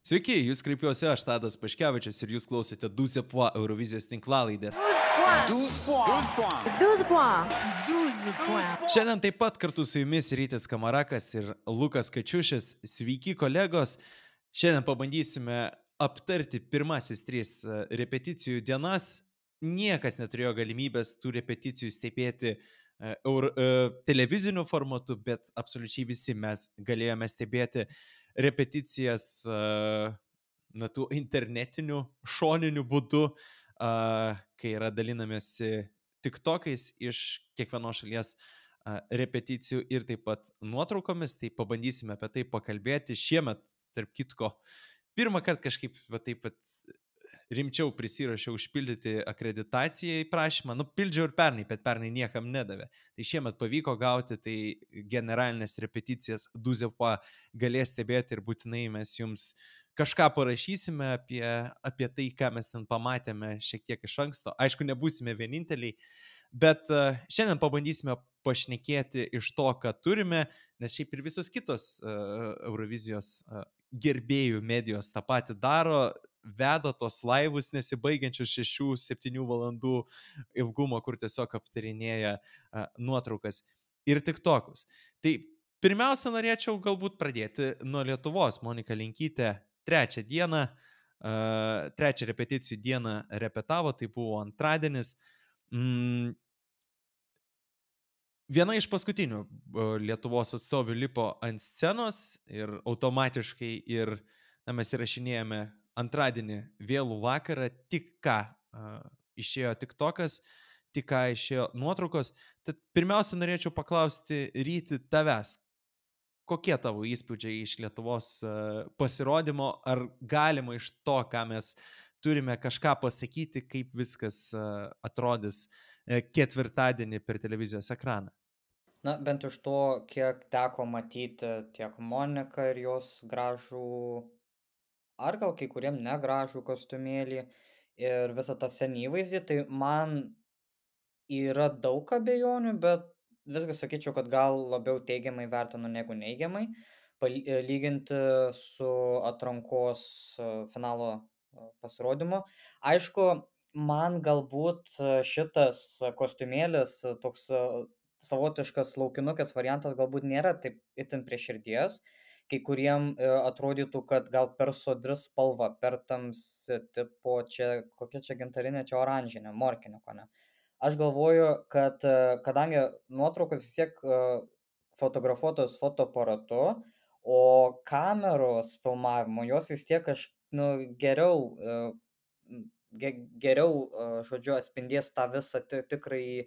Sveiki, jūs kreipiuosi aš, Tadas Paškevičius, ir jūs klausote 12 points Eurovizijos tinklalaidės. 12 points. 12 points. 12 points. Šiandien taip pat kartu su jumis Rytis Kamarakas ir Lukas Kačiušis. Sveiki, kolegos. Šiandien pabandysime aptarti pirmasis 3 repeticijų dienas. Niekas neturėjo galimybės tų repeticijų stebėti televiziniu formatu, bet absoliučiai visi mes galėjome stebėti repeticijas tų internetinių šoninių būdų, kai yra dalinamėsi tiktokais iš kiekvienos šalies repeticijų ir taip pat nuotraukomis, tai pabandysime apie tai pakalbėti. Šiemet, tarp kitko, pirmą kartą kažkaip taip pat rimčiau prisirašiau užpildyti akreditacijai prašymą. Pildžiau ir pernai, bet pernai niekam nedavė. Tai šiemet pavyko gauti, tai generalinės repeticijas 12 points galės stebėti ir būtinai mes jums kažką parašysime apie tai, ką mes ten pamatėme šiek tiek iš anksto. Aišku, nebūsime vieninteliai, bet šiandien pabandysime pašnekėti iš to, ką turime, nes šiaip ir visos kitos Eurovizijos gerbėjų medijos tą patį daro, veda tos laivus nesibaigiančius 6-7 valandų ilgumo, kur tiesiog aptarinėja nuotraukas ir tiktokus. Tai pirmiausia, norėčiau galbūt pradėti nuo Lietuvos. Monika Linkytė trečią repeticijų dieną repetavo, tai buvo antradienis. Viena iš paskutinių Lietuvos atstovių lipo ant scenos ir automatiškai mes įrašinėjame antradienį vėlų vakarą, tik ką išėjo tiktokas, tik ką išėjo nuotraukos. Tad pirmiausia, norėčiau paklausti Ryti tavęs, kokie tavo įspūdžiai iš Lietuvos pasirodymo, ar galima iš to, ką mes turime, kažką pasakyti, kaip viskas atrodys ketvirtadienį per televizijos ekraną? Na, bent iš to, kiek teko matyti tiek Moniką ir jos gražų, ar gal kai kuriem negražų kostiumėlį ir visą tą senį įvaizdį, tai man yra daug abejonių, bet visgi sakyčiau, kad gal labiau teigiamai vertinu negu neigiamai, lyginti su atrankos finalo pasirodymu. Aišku, man galbūt šitas kostiumėlis, toks savotiškas laukinukės variantas galbūt nėra taip itin prie širdies. Kai kuriem atrodytų, kad gal per sodri spalva, per tamsi tipo, kokia čia gintarinė, čia oranžinė, morkinė, ko ne. Aš galvoju, kad kadangi nuotraukos vis tiek fotografuotos fotoaparatu, o kameros filmavimo, jos vis tiek geriau, žodžiu, atspindės tą visą tikrąjį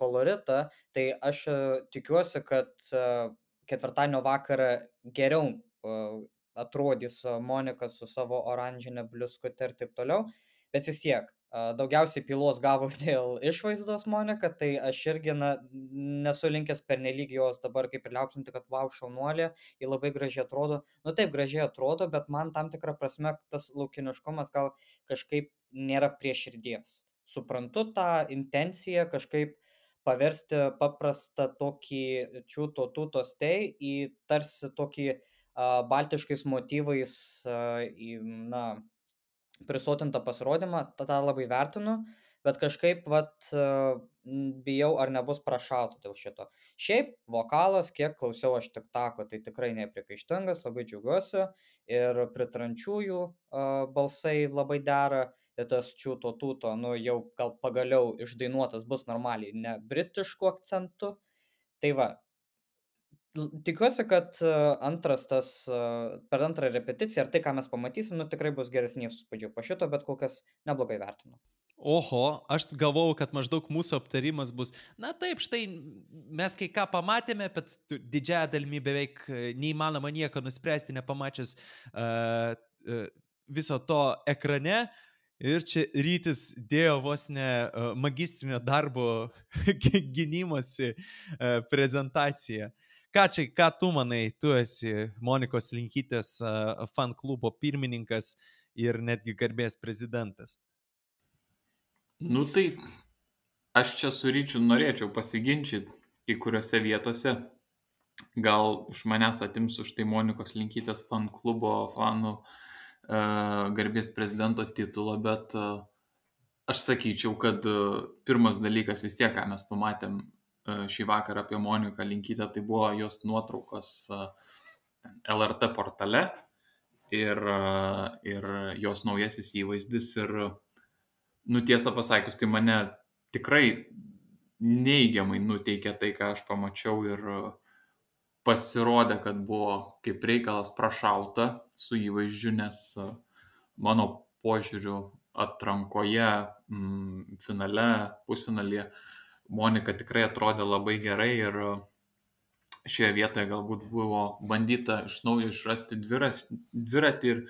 koloritą, tai aš tikiuosi, kad ketvirtadienio vakarą geriau atrodys Monika su savo oranžinė bliuskute ir taip toliau, bet vis tiek daugiausiai pylos gavo dėl išvaizdos Monika, tai aš irgi nesu linkęs pernelyg jos dabar kaip ir liaupsinti, kad vau, šaunuolė, ji labai gražiai atrodo. Taip gražiai atrodo, bet man tam tikrą prasme tas laukiniškumas gal kažkaip nėra prie širdies. Suprantu tą intenciją kažkaip paversti paprastą tokį čiūto tūto stei į tarsi tokį baltiškais motyvais prisotintą pasirodymą, tą labai vertinu, bet kažkaip bijau, ar nebus prašauta dėl šito. Šiaip vokalas, kiek klausiau aš tiktoko, tai tikrai nepriekaištingas, labai džiaugiuosi ir pritrančiųjų balsai labai dera. Ir tas čiūto tūto, jau gal pagaliau išdainuotas bus normaliai, ne britišku akcentu. Tai va, tikiuosi, kad per antrą repeticiją, ar tai, ką mes pamatysim, tikrai bus geresni įspūdžiai po šito, bet kol kas neblogai vertinu. Oho, aš galvojau, kad maždaug mūsų aptarimas bus, taip, štai mes kai ką pamatėme, bet didžiąją dalimi beveik neįmanoma nieko nuspręsti, nepamačius viso to ekrane. Ir čia Rytis dėjo vos ne magistrinio darbo gynimosi prezentaciją. Ką tu manai, tu esi Monikos Linkytės fan klubo pirmininkas ir netgi garbės prezidentas? Tai aš čia su Ryčiu norėčiau pasiginčyti kai kuriuose vietose. Gal iš manęs atims už tai Monikos Linkytės fan klubo fanų garbės prezidento titulo, bet aš sakyčiau, kad pirmas dalykas vis tiek, ką mes pamatėm šį vakarą apie Moniką Linkytę, tai buvo jos nuotraukos LRT portale ir jos naujasis įvaizdis. Ir, tiesą pasakius, tai mane tikrai neigiamai nuteikė tai, ką aš pamačiau, ir pasirodė, kad buvo kaip reikalas prašauta su įvaizdžiu, nes mano požiūriu atrankoje, finale, pusfinalyje Monika tikrai atrodė labai gerai ir šioje vietoje galbūt buvo bandyta iš naujo išrasti dviratį ir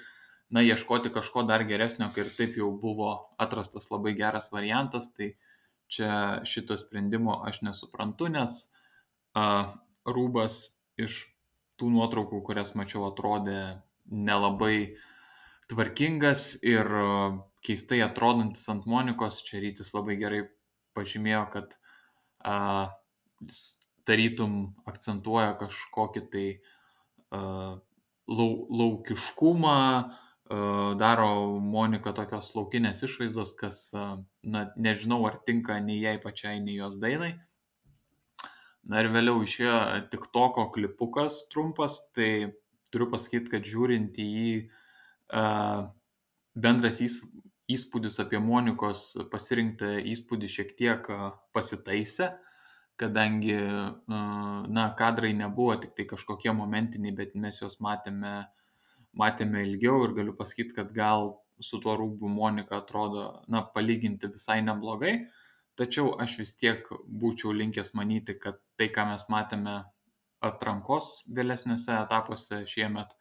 ieškoti kažko dar geresnio, kai ir taip jau buvo atrastas labai geras variantas. Tai čia šito sprendimo aš nesuprantu, nes rūbas iš tų nuotraukų, kurias mačiau, atrodė nelabai tvarkingas ir keistai atrodantis ant Monikos. Čia Rytis labai gerai pažymėjo, kad tarytum akcentuoja kažkokį tai laukiškumą, daro Monika tokios laukinės išvaizdos, kas, nežinau, ar tinka nei jai pačiai, nei jos dainai. Ir vėliau išėjo TikToko klipukas trumpas, tai turiu pasakyti, kad žiūrint į jį, bendras įspūdis apie Monikos pasirinktą įspūdį šiek tiek pasitaisė, kadangi, kadrai nebuvo tik tai kažkokie momentiniai, bet mes juos matėme ilgiau, ir galiu pasakyti, kad gal su tuo rūbu Monika atrodo, palyginti visai neblogai. Tačiau aš vis tiek būčiau linkęs manyti, kad tai, ką mes matėme atrankos vėlesniuose etapuose šiemet,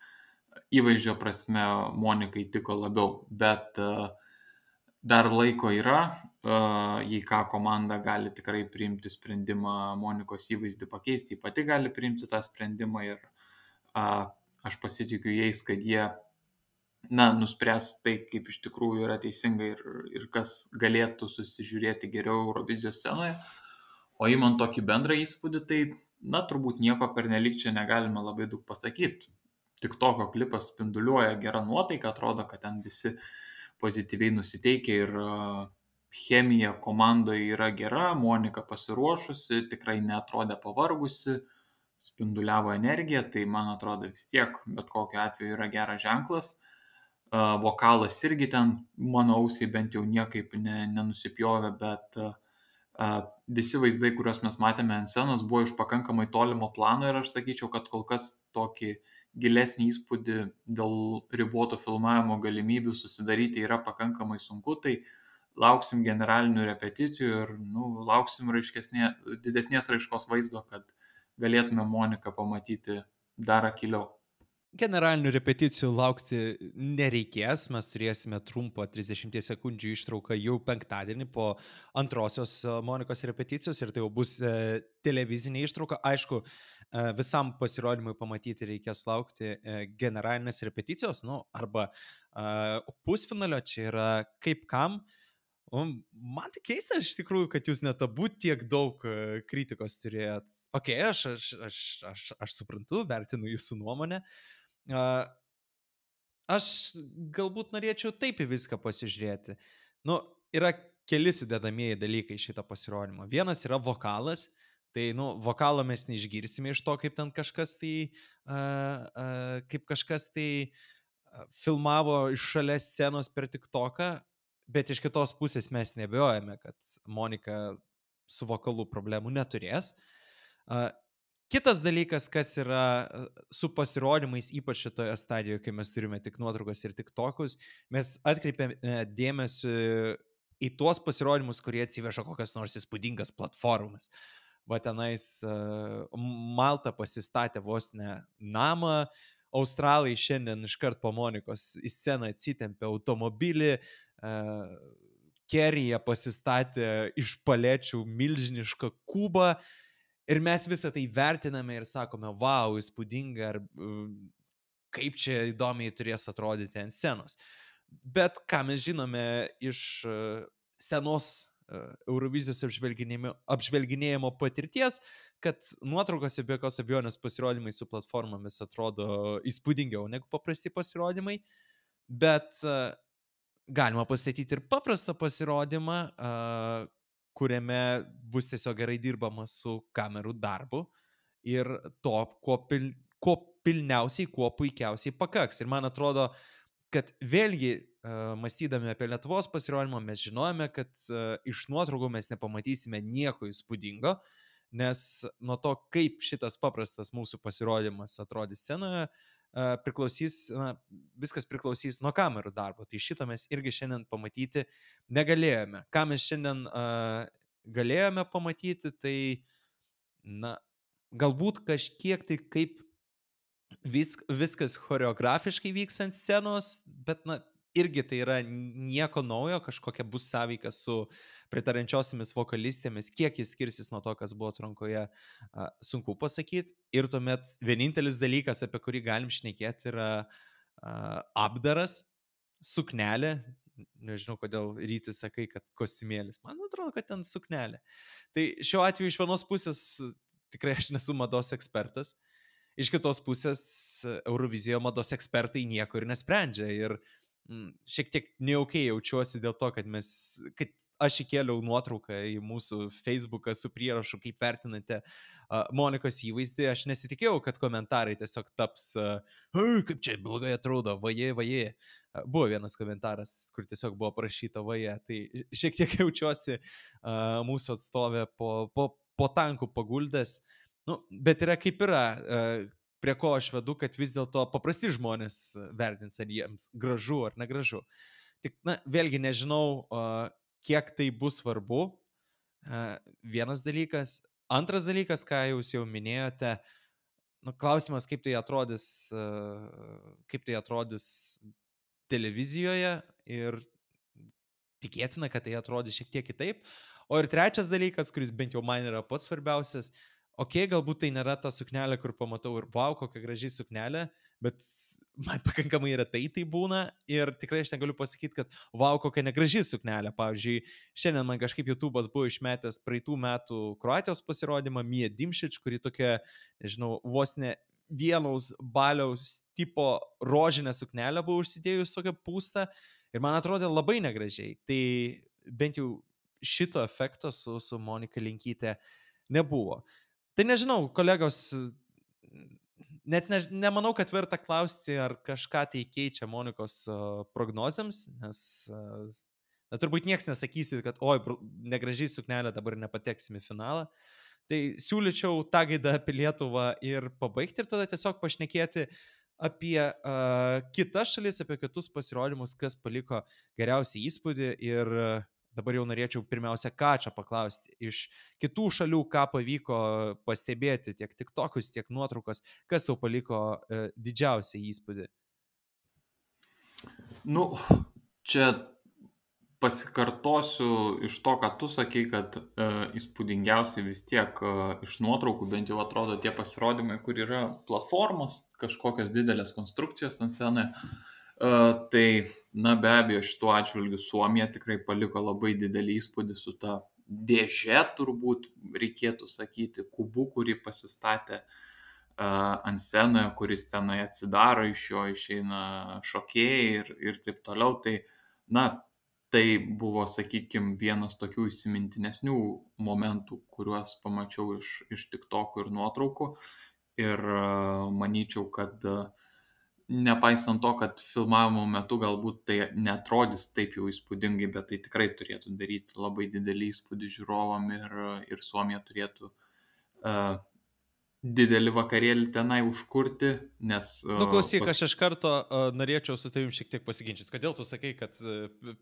įvaizdžio prasme Monikai tiko labiau. Bet dar laiko yra, jei ką, komanda gali tikrai priimti sprendimą Monikos įvaizdį pakeisti, ji pati gali priimti tą sprendimą, ir aš pasitikiu jais, kad jie nuspręs tai, kaip iš tikrųjų yra teisinga ir kas galėtų susižiūrėti geriau Eurovizijos scenoje. O įmant tokį bendrą įspūdį, tai, turbūt nieko pernelyg čia negalime labai daug pasakyti. TikToko klipas spinduliuoja gerą nuotaiką, atrodo, kad ten visi pozityviai nusiteikia ir chemija komandoje yra gera, Monika pasiruošusi, tikrai neatrodė pavargusi, spinduliavo energiją, tai man atrodo vis tiek bet kokiu atveju yra geras ženklas. Vokalas irgi ten, mano ausiai bent jau niekaip nenusipjovė, bet visi vaizdai, kuriuos mes matėme ant scenos, buvo iš pakankamai tolimo plano, ir aš sakyčiau, kad kol kas tokį gilesnį įspūdį dėl riboto filmavimo galimybių susidaryti yra pakankamai sunku. Tai lauksim generalinių repeticijų ir lauksim didesnės raiškos vaizdo, kad galėtume Moniką pamatyti dar akyliau. Generalinių repeticijų laukti nereikės, mes turėsime trumpą 30 sekundžių ištrauką jau penktadienį po antrosios Monikos repeticijos, ir tai jau bus televizinė ištrauka. Aišku, visam pasirodymui pamatyti reikės laukti generalinės repeticijos, arba pusfinalio, čia yra kaip kam. Man tai keista iš tikrųjų, kad jūs net abu tiek daug kritikos turėjot. Ok, aš suprantu, vertinu jūsų nuomonę. Aš galbūt norėčiau taip į viską pasižiūrėti. Yra keli sudedamieji dalykai šito pasirodymo. Vienas yra vokalas, tai vokalo mes neišgirsime iš to, kaip ten kažkas tai filmavo iš šalia scenos per TikToką, bet iš kitos pusės mes nebejojame, kad Monika su vokalu problemų neturės. Kitas dalykas, kas yra su pasirodymais, ypač šitoje stadijoje, kai mes turime tik nuotraukas ir TikTokus, mes atkreipiame dėmesį į tuos pasirodymus, kurie atsiveža kokias nors įspūdingas platformas. Va tenais Malta pasistatė vos ne namą, Australai šiandien iškart po Monikos į sceną atsitempė automobilį, Kerija pasistatė iš palečių milžinišką kubą. Ir mes visą tai vertiname ir sakome, wow, įspūdinga, ar kaip čia įdomiai turės atrodyti ant scenos. Bet ką mes žinome iš senos Eurovizijos apžvelginėjimo patirties, kad nuotraukose be jokios abejonės pasirodymai su platformomis atrodo įspūdingiau negu paprasti pasirodymai. bet galima pastatyti ir paprastą pasirodymą, kuriame bus tiesiog gerai dirbama su kamerų darbu ir to, kuo pilniausiai, kuo puikiausiai pakaks. Ir man atrodo, kad vėlgi, mąstydami apie Lietuvos pasirodymą, mes žinojame, kad iš nuotraukų mes nepamatysime nieko įspūdingo, nes nuo to, kaip šitas paprastas mūsų pasirodymas atrodys scenoje, viskas priklausys nuo kamerų darbo. Tai šito mes irgi šiandien pamatyti negalėjome. Ką mes šiandien galėjome pamatyti, tai galbūt kažkiek tai kaip viskas choreografiškai vyks ant scenos, bet irgi tai yra nieko naujo, kažkokia bus sąveika su pritarančiosiomis vokalistėmis, kiek jis skirsis nuo to, kas buvo atrankoje, sunku pasakyti. Ir tuomet vienintelis dalykas, apie kurį galim šnekėti, yra apdaras, suknelė. Nežinau, kodėl Rytis sakai, kad kostiumėlis. Man atrodo, kad ten suknelė. Tai šiuo atveju iš vienos pusės tikrai aš nesu mados ekspertas. Iš kitos pusės Eurovizijoje mados ekspertai nieko ir nesprendžia. Ir šiek tiek nejaukiai jaučiuosi dėl to, kad aš įkėliau nuotrauką į mūsų Facebooką su prierašu, kaip vertinate Monikos įvaizdį. Aš nesitikėjau, kad komentarai tiesiog taps, kaip čia blogai atrodo, vaje. Buvo vienas komentaras, kur tiesiog buvo parašyta vaje. Tai šiek tiek jaučiuosi mūsų atstovė po tankų paguldęs. Bet yra kaip yra, prie ko aš vedu, kad vis dėlto paprasti žmonės vertins, ar jiems gražu ar negražu. Tik, vėlgi nežinau, kiek tai bus svarbu. Vienas dalykas. Antras dalykas, ką jūs jau minėjote, klausimas, kaip tai atrodys televizijoje, ir tikėtina, kad tai atrodys šiek tiek kitaip. O ir trečias dalykas, kuris bent jau man yra pats svarbiausias, galbūt tai nėra ta suknelė, kur pamatau ir wow, kokia graži suknelė, bet man pakankamai retai tai būna ir tikrai aš negaliu pasakyti, kad wow, kokia negraži suknelė. Pavyzdžiui, šiandien man kažkaip YouTube'as buvo išmetęs praeitų metų Kroatijos pasirodymą Mija Dimšič, kuri tokia, nežinau, vos ne vienaus baliaus tipo rožinę suknelę buvo užsidėjus tokią pūstą ir man atrodė labai negražiai. Tai bent jau šito efekto su Monika Linkyte nebuvo. Tai nežinau, kolegos, net nemanau, kad verta klausti, ar kažką tai keičia Monikos prognozėms, nes turbūt nieks nesakysi, kad oi, negražiai suknelė, dabar nepateksim į finalą. Tai siūlyčiau tą gaidą apie Lietuvą ir pabaigti ir tada tiesiog pašnekėti apie kitas šalis, apie kitus pasirodymus, kas paliko geriausią įspūdį. Ir dabar jau norėčiau pirmiausia Kačio paklausti iš kitų šalių, ką pavyko pastebėti, tiek TikTokus, tiek nuotraukas, kas tau paliko didžiausią įspūdį? Čia pasikartosiu iš to, ką tu sakei, kad įspūdingiausiai vis tiek iš nuotraukų bent jau atrodo tie pasirodymai, kur yra platformos, kažkokios didelės konstrukcijos ant scenoje. Tai, be abejo, šituo atžvilgiu Suomija tikrai paliko labai didelį įspūdį su ta dėžė, turbūt reikėtų sakyti, kubu, kurį pasistatė ant scenoje, kuris tenai atsidaro, iš jo išeina šokėjai ir taip toliau. Tai, tai buvo, sakykime, vienas tokių įsimintinesnių momentų, kuriuos pamačiau iš TikTokų ir nuotraukų. Ir manyčiau, kad nepaisant to, kad filmavimo metu galbūt tai netrodys taip jau įspūdingai, bet tai tikrai turėtų daryti labai didelį įspūdį žiūrovam ir Suomija turėtų didelį vakarėlį tenai užkurti, nes... Klausyk, aš iš karto norėčiau su tavim šiek tiek pasiginčyti. Kodėl tu sakai, kad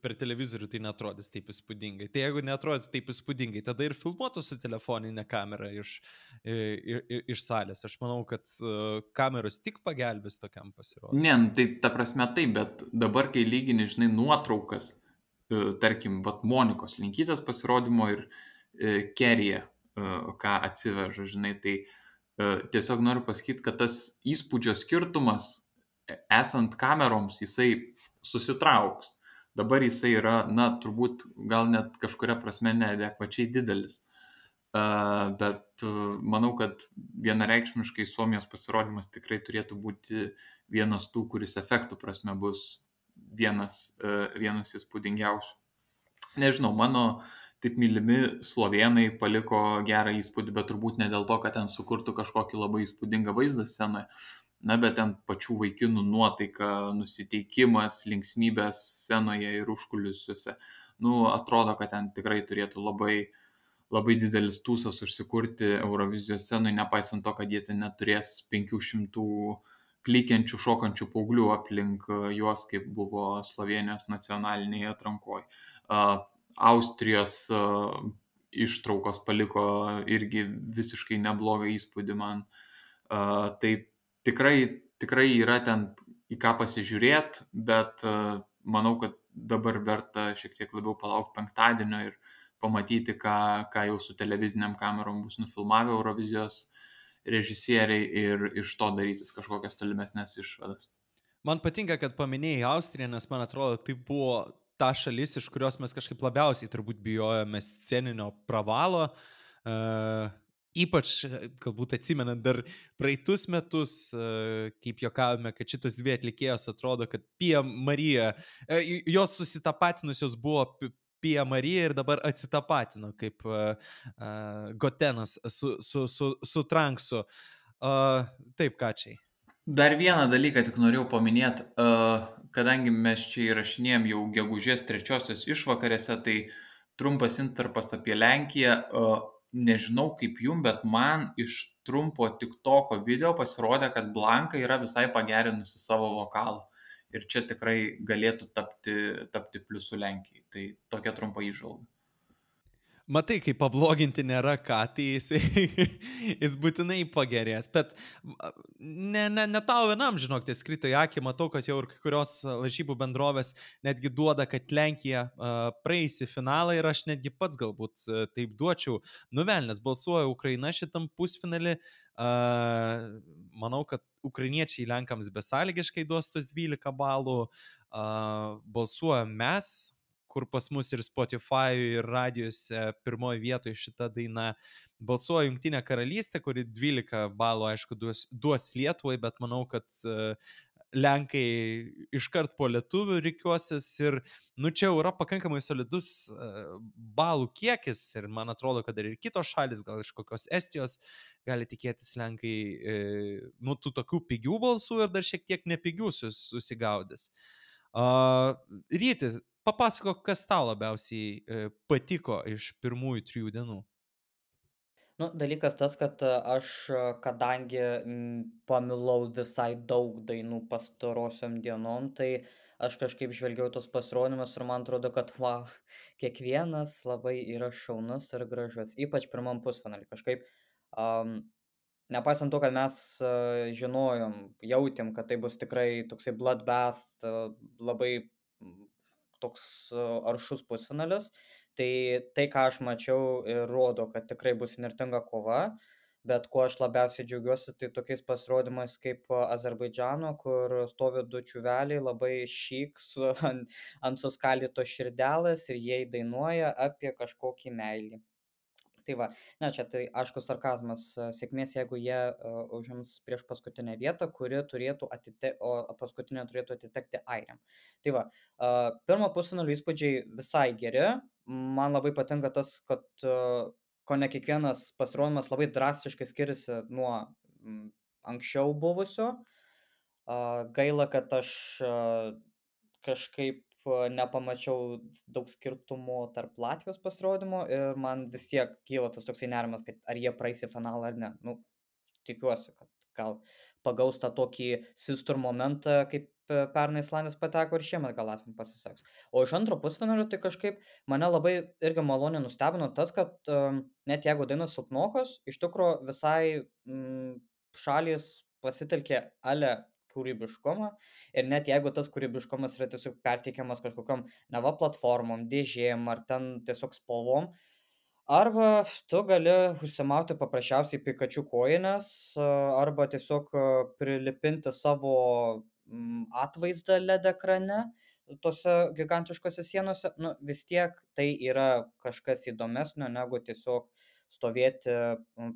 per televizorių tai netrodys taip įspūdingai? Tai jeigu netrodys taip įspūdingai, tada ir filmuotų su telefoninė kamera iš salės. Aš manau, kad kameros tik pagelbės tokiam pasirodymui. Ne, tai ta prasme taip, bet dabar, kai lygini, žinai, nuotraukas, tarkim, Monikos Linkytės pasirodymo ir Kerija, ką atsiveža, žinai, tai tiesiog noriu pasakyti, kad tas įspūdžio skirtumas, esant kameroms, jisai susitrauks. Dabar jisai yra, turbūt gal net kažkuria prasme neadekvačiai didelis. Bet manau, kad vienareikšmiškai Suomijos pasirodymas tikrai turėtų būti vienas tų, kuris efektų prasme bus vienas įspūdingiausių. Nežinau, mano taip mylimi slovėnai paliko gerą įspūdį, bet turbūt ne dėl to, kad ten sukurtų kažkokį labai įspūdingą vaizdą scenoje, na, bet ten pačių vaikinų nuotaika, nusiteikimas, linksmybės scenoje ir užkulisiuose. Nu, atrodo, kad ten tikrai turėtų labai didelis tūsas užsikurti Eurovizijos scenoje, nepaisant to, kad jie ten neturės 500 klykiančių, šokančių paauglių aplink juos, kaip buvo Slovenijos nacionalinėje atrankoje. Austrijos ištraukos paliko irgi visiškai neblogą įspūdį man. Tai tikrai yra ten į ką pasižiūrėti, bet manau, kad dabar verta šiek tiek labiau palaukti penktadienio ir pamatyti, ką jau su televiziniam kamerom bus nufilmavę Eurovizijos režisieriai ir iš to darytis kažkokias tolimesnės išvadas. Man patinka, kad paminėjai Austriją, nes man atrodo, tai buvo ta šalis, iš kurios mes kažkaip labiausiai turbūt bijojome sceninio pravalo. Ypač, galbūt atsimenant dar praeitus metus, kaip juokavome, kad šitos dvi atlikėjos atrodo, kad Pia Marija, jos susitapatinusios buvo Pia Marija ir dabar atsitapatino kaip Gotenas su Tranksu. Taip, Kačiai. Dar vieną dalyką tik norėjau paminėti, kadangi mes čia įrašinėjom jau gegužės 3-osios išvakarėse, tai trumpas intarpas apie Lenkiją. Nežinau kaip jum, bet man iš trumpo TikToko video pasirodė, kad Blanka yra visai pagerinusi savo vokalą. Ir čia tikrai galėtų tapti pliusu Lenkijai. Tai tokia trumpa įžvalga. Matai, kai pabloginti nėra ką, tai jis būtinai pagerės. Bet ne tau vienam, žinok, tai skrito į akį, matau, kad jau ir kai kurios lažybų bendrovės netgi duoda, kad Lenkija praeis į finalą ir aš netgi pats galbūt taip duočiau. Nuvelnės balsuoja Ukraina šitam pusfinalį. Manau, kad ukrainiečiai Lenkams besąlygiškai duos tos 12 balų. Balsuoja mes, kur pas mus ir Spotify ir radijose pirmoje vietoje šita daina. Balsuoja Jungtinė karalystė, kuri 12 balų, aišku, duos Lietuvai, bet manau, kad Lenkai iškart po lietuvių rikiuosis ir, čia yra pakankamai solidus balų kiekis ir man atrodo, kad ir kitos šalis, gal iš kokios Estijos, gali tikėtis Lenkai, tų tokių pigių balsų ir dar šiek tiek nepigių susigaudys. Rytis, papasakok, kas tau labiausiai patiko iš pirmųjų 3 dienų. Dalykas tas, kad aš, kadangi pamilau visai daug dainų pastarosiom dienom, tai aš kažkaip žvelgiau tos pasirodymus ir man atrodo, kad kiekvienas labai yra šaunus ir gražus, ypač pirmam pusfinalį. Kažkaip, nepaisant to, kad mes jautėm, kad tai bus tikrai toksai bloodbath, labai toks aršus pusfinalis, tai ką aš mačiau, rodo, kad tikrai bus įnirtinga kova, bet kuo aš labiausiai džiaugiuosi, tai tokiais pasirodymais kaip Azerbaidžano, kur stovi 2 čiuveliai, labai šyk ant suskaldytos širdelės ir jie dainuoja apie kažkokį meilį. Tai va, čia tai aišku sarkazmas, sėkmės, jeigu jie užims prieš paskutinę vietą, o paskutinė turėtų atitekti airiam. Tai va, pirmo pusfinalio įspūdžiai visai geri, man labai patinka tas, kad kone kiekvienas pasirodymas labai drastiškai skiriasi nuo anksčiau buvusio. Gaila, kad aš kažkaip nepamačiau daug skirtumų tarp Latvijos pasirodymo ir man vis tiek kyla tas toksai nerimas, kad ar jie praeis į finalą ar ne. Tikiuosi, kad gal pagaus tą tokį sistur momentą, kaip pernai Islandijos pateko ir šiemet gal Latvijom pasiseks. O iš antro pusfinalio tai kažkaip mane labai irgi maloniai nustebino tas, kad net jeigu dainos silpnokos, iš tikrųjų visai šalys pasitelkė kūrybiškumą ir net jeigu tas kūrybiškumas yra tiesiog perteikiamas kažkokiom neva platformom, dėžėm ar ten tiesiog spalvom, arba tu gali užsimauti paprasčiausiai Pikachu kojines arba tiesiog prilipinti savo atvaizdą LED ekrane tose gigantiškose sienose, vis tiek tai yra kažkas įdomesnio negu tiesiog stovėti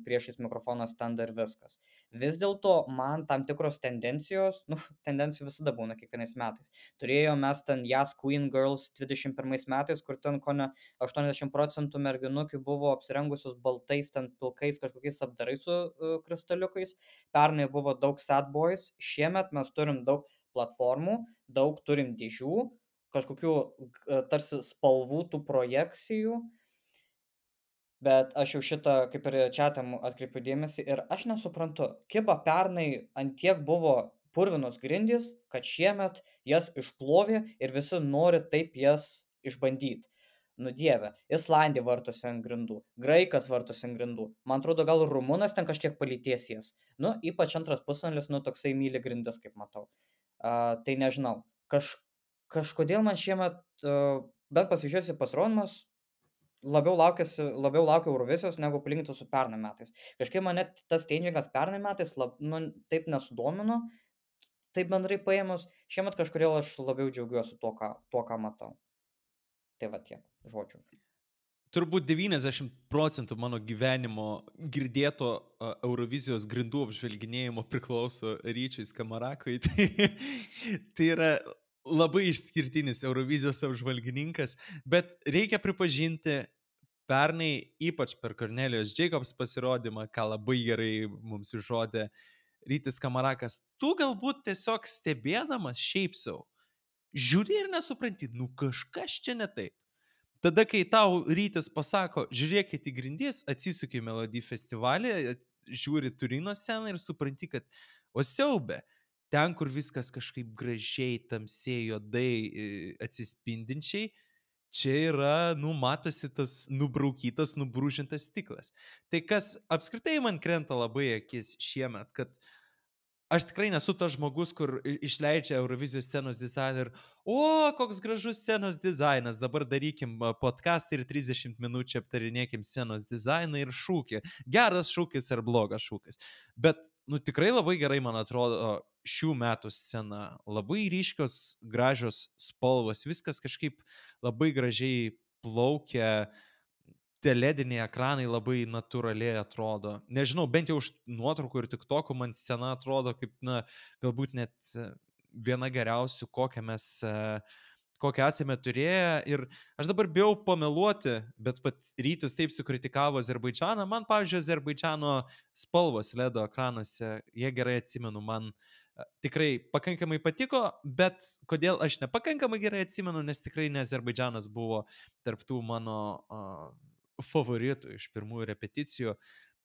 priešais mikrofono stendą ir viskas. Vis dėlto man tam tikros tendencijos, tendencijų visada būna kiekvienais metais. Turėjom mes ten Yes Queen Girls 21 metais, kur ten kone 80% merginukių buvo apsirengusios baltais, ten pilkais kažkokiais apdarais su kristaliukais. Pernai buvo daug sad boys, šiemet mes turim daug platformų, daug turim dėžių, kažkokių tarsi spalvų tų projekcijų, bet aš jau šitą kaip ir čiatam atkreipiu dėmesį ir aš nesuprantu, kiba pernai ant tiek buvo purvinos grindys, kad šiemet jas išplovė ir visi nori taip jas išbandyti. Nu dieve, Islandija vartosi ant grindų, Graikas vartosi ant grindų, man atrodo gal Rumunas ten kažkiek palyties jas. Nu, ypač antras pusvalandis, toksai myli grindis, kaip matau. Tai nežinau, kažkodėl man šiemet, bent pasižiūrėsi pasirodymas, labiau laukiu Eurovizijos negu palyginti su pernai metais. Kažkaip mane tas stageingas pernai metais taip nesudomino, taip bendrai paėmus, šiemet kažkodėl aš labiau džiaugiuosi tuo, ką matau. Tai va tiek žodžių. Turbūt 90% mano gyvenimo girdėto Eurovizijos grindų apžvelginėjimo priklauso Ryčiui Skamarakui. Tai yra labai išskirtinis Eurovizijos apžvalgininkas, bet reikia pripažinti, pernai, ypač per Cornelijos Jacobs pasirodymą, ką labai gerai mums išrodė Rytis Skamarakas, tu galbūt tiesiog stebėdamas šiaip savo, žiūri ir nesupranti, kažkas čia ne taip. Tada, kai tau Rytis pasako, žiūrėkit į grindis, atsisuki į Melody festivalį, žiūri Turino sceną ir supranti, kad siaube, ten, kur viskas kažkaip gražiai, tamsiai, juodai, atsispindinčiai, čia yra, matosi tas nubraukytas, nubrūžintas stiklas. Tai kas apskritai man krenta labai akis šiemet, kad aš tikrai nesu tas žmogus, kur išleidžia Eurovizijos scenos dizainą ir koks gražus scenos dizainas, dabar darykim podcastą ir 30 minučių aptarinėkim scenos dizainą ir šūkį. Geras šūkis ar blogas šūkis. Bet, tikrai labai gerai, man atrodo, šių metų scena. Labai ryškios, gražios spalvos, viskas kažkaip labai gražiai plaukia. Tie lediniai ekranai labai natūraliai atrodo. Nežinau, bent jau už nuotraukų ir TikTokų man scena atrodo kaip, galbūt net viena geriausių, kokią esame turėję. Ir aš dabar bijau pameluoti, bet pat Rytis taip sukritikavo Azerbaidžaną. Man, pavyzdžiui, Azerbaidžano spalvos ledo ekranuose, jie gerai atsimenu, man tikrai pakankamai patiko, bet kodėl aš nepakankamai gerai atsimenu, nes tikrai ne Azerbaidžanas buvo tarptų mano favoritų iš pirmųjų repeticijų.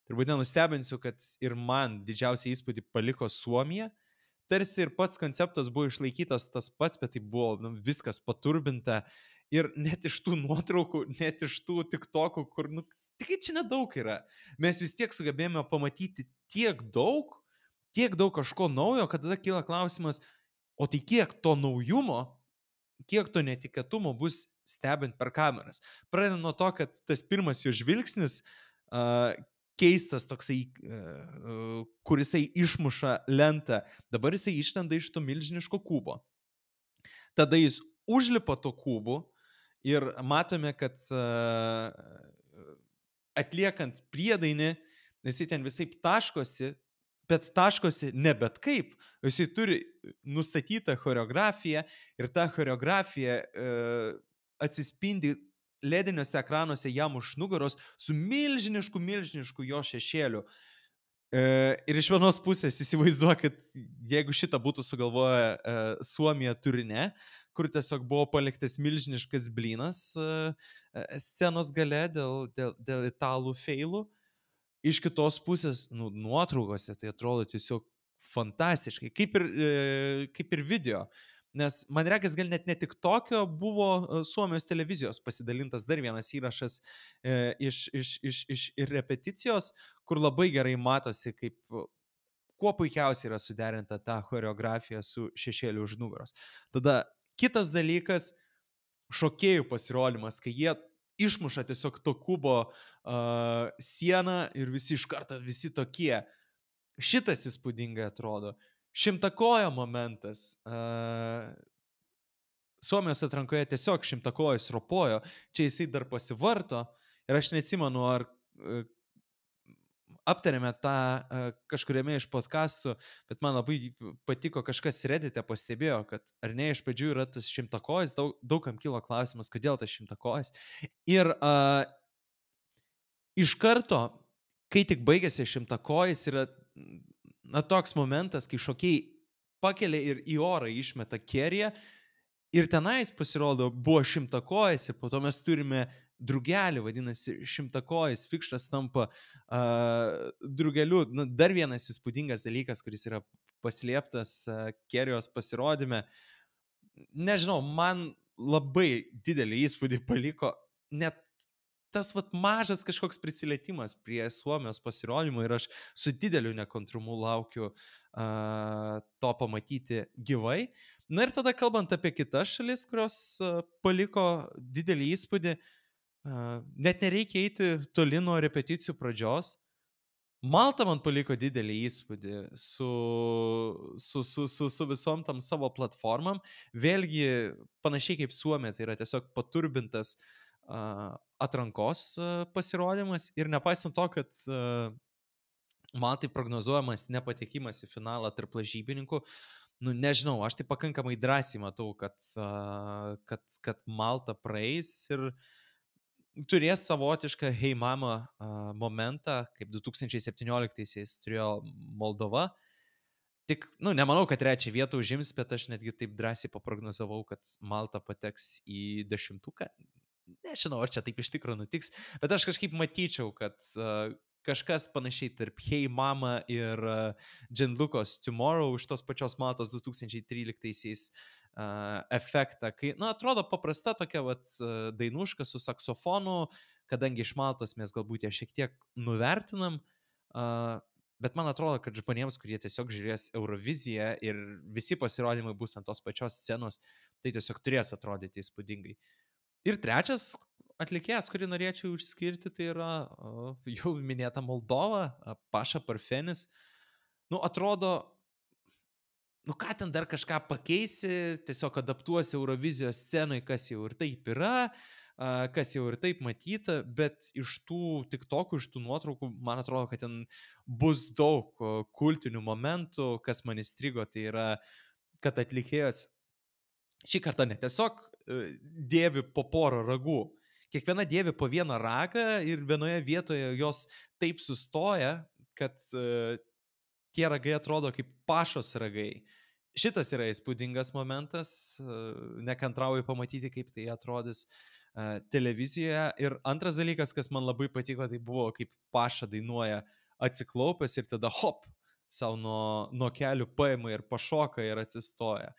Turbūt nenustebinsiu, kad ir man didžiausią įspūdį paliko Suomija. Tarsi ir pats konceptas buvo išlaikytas tas pats, bet tai buvo viskas paturbinta. Ir net iš tų nuotraukų, net iš tų TikTokų, kur tik čia nedaug yra. Mes vis tiek sugebėjome pamatyti tiek daug kažko naujo, kad tada kyla klausimas, o tai kiek to naujumo, kiek to netikėtumo bus stebint per kameras. Pradedant nuo to, kad tas pirmas jo žvilgsnis keistas toksai, kur jisai išmuša lentą, dabar jisai išlenda iš to milžiniško kubo. Tada jis užlipa to kubu ir matome, kad atliekant priedainį, jisai ten visai taškosi, bet taškosi ne bet kaip, jisai turi nustatytą choreografiją ir ta choreografija atsispindi lediniuose ekranuose jam už nugaros su milžinišku jo šešėliu. Ir iš vienos pusės įsivaizduoju, kad jeigu šitą būtų sugalvoję Suomija Turine, kur tiesiog buvo paliktas milžiniškas blynas scenos gale dėl italų feilų, iš kitos pusės, nuotraukose tai atrodo tiesiog fantastiškai, kaip ir video. Nes man regis, gal net ne tik tokio buvo Suomijos televizijos pasidalintas dar vienas įrašas iš repeticijos, kur labai gerai matosi, kaip kuo puikiausiai yra suderinta ta choreografija su šešėliu už nugaros. Tada kitas dalykas, šokėjų pasirodymas, kai jie išmuša tiesiog to kubo sieną ir visi iš karto, visi tokie. Šitas įspūdingai atrodo. Šimtakojo momentas. Suomijos atrankoje tiesiog šimtakojus ropojo. Čia jisai dar pasivarto ir aš neatsimenu, ar aptarėme tą kažkuriame iš podcastų, bet man labai patiko, kažkas Reddit'e pastebėjo, kad ar ne iš pradžių yra tas šimtakojis, daugam kilo klausimas, kodėl tas šimtakojis. Ir iš karto, kai tik baigėsi šimtakojis, yra toks momentas, kai šokiai pakelia ir į orą išmeta Kerry'ą. Ir tenais pasirodo buvo šimtakojis ir po to mes turime drugelį, vadinasi šimtakojis, Fikštas tampa drugeliu. Dar vienas įspūdingas dalykas, kuris yra paslėptas Kerry'os pasirodyme. Nežinau, man labai didelį įspūdį paliko net tas mažas kažkoks prisilietimas prie Suomijos pasirodymo ir aš su dideliu nekantrumu laukiu to pamatyti gyvai. Na ir tada kalbant apie kitas šalis, kurios paliko didelį įspūdį, net nereikia eiti toli nuo repeticijų pradžios. Malta man paliko didelį įspūdį su visom tam savo platformam. Vėlgi, panašiai kaip Suomija, tai yra tiesiog paturbintas atrankos pasirodymas ir nepaisant to, kad Maltai prognozuojamas nepatekimas į finalą tarp lažybininkų, nežinau, aš tai pakankamai drąsiai matau, kad Malta praeis ir turės savotišką Hey Mama momentą, kaip 2017-aisiais turėjo Moldova. Tik, nemanau, kad trečią vietą užims, bet aš netgi taip drąsiai paprognozavau, kad Malta pateks į 10-uką. Nežinau, ar čia taip iš tikrųjų nutiks, bet aš kažkaip matyčiau, kad kažkas panašiai tarp Hey Mama ir Gianlucos Tomorrow iš tos pačios Maltos 2013-aisiais efektą, kai, atrodo paprasta tokia dainuška su saksofonu, kadangi iš Maltos mes galbūt ją šiek tiek nuvertinam, bet man atrodo, kad žmonėms, kurie tiesiog žiūrės Euroviziją ir visi pasirodymai bus ant tos pačios scenos, tai tiesiog turės atrodyti įspūdingai. Ir trečias atlikėjas, kurį norėčiau išskirti, tai yra jau minėta Moldova, Paša Parfenis. Atrodo, ką ten dar kažką pakeisi, tiesiog adaptuosi Eurovizijos scenai, kas jau ir taip yra, kas jau ir taip matyta, bet iš tų TikTokų, iš tų nuotraukų, man atrodo, kad ten bus daug kultinių momentų, kas man įstrigo, tai yra, kad atlikėjas šį kartą ne tiesiog dėvi po porą ragų, kiekviena dėvi po vieną ragą ir vienoje vietoje jos taip sustoja, kad tie ragai atrodo kaip Pašos ragai. Šitas yra įspūdingas momentas, nekantrauju pamatyti, kaip tai atrodys televizijoje. Ir antras dalykas, kas man labai patiko, tai buvo, kaip Paša dainuoja atsiklaupęs ir tada hop, savo nuo kelių paima ir pašoka ir atsistoja.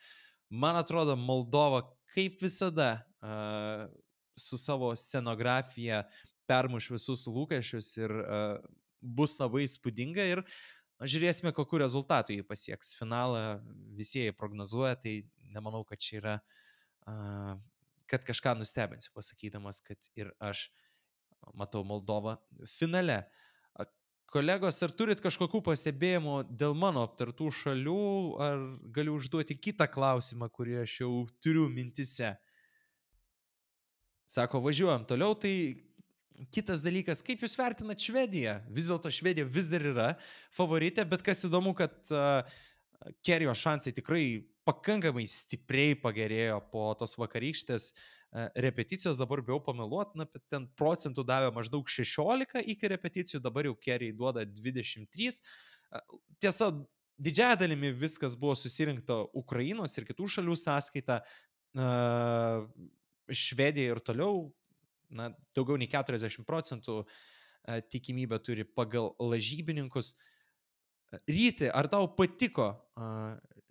Man atrodo, Moldova kaip visada su savo scenografija permuš visus lūkesčius ir bus labai įspūdinga ir žiūrėsime, kokiu rezultatu jį pasieks. Finalą visi jie prognozuoja, tai nemanau, kad čia yra, kad kažką nustebinsiu pasakydamas, kad ir aš matau Moldovą finale. Kolegos, ar turit kažkokių pastebėjimų dėl mano aptartų šalių, ar galiu užduoti kitą klausimą, kurį aš jau turiu mintise? Sako, važiuojam toliau, tai kitas dalykas, kaip jūs vertinat Švediją? Vis dėlto Švedija vis dar yra favoritė, bet kas įdomu, kad Kerry'os šansai tikrai pakankamai stipriai pagerėjo po tos vakarykštės repeticijos, dabar bijau pameluoti, bet ten procentų davė maždaug 16 iki repeticijų, dabar jau Kerry duoda 23. Tiesa, didžiąją dalimi viskas buvo susirinkta Ukrainos ir kitų šalių sąskaita. Švedija ir toliau, daugiau nei 40% tikimybę turi pagal lažybininkus. Ryti, ar tau patiko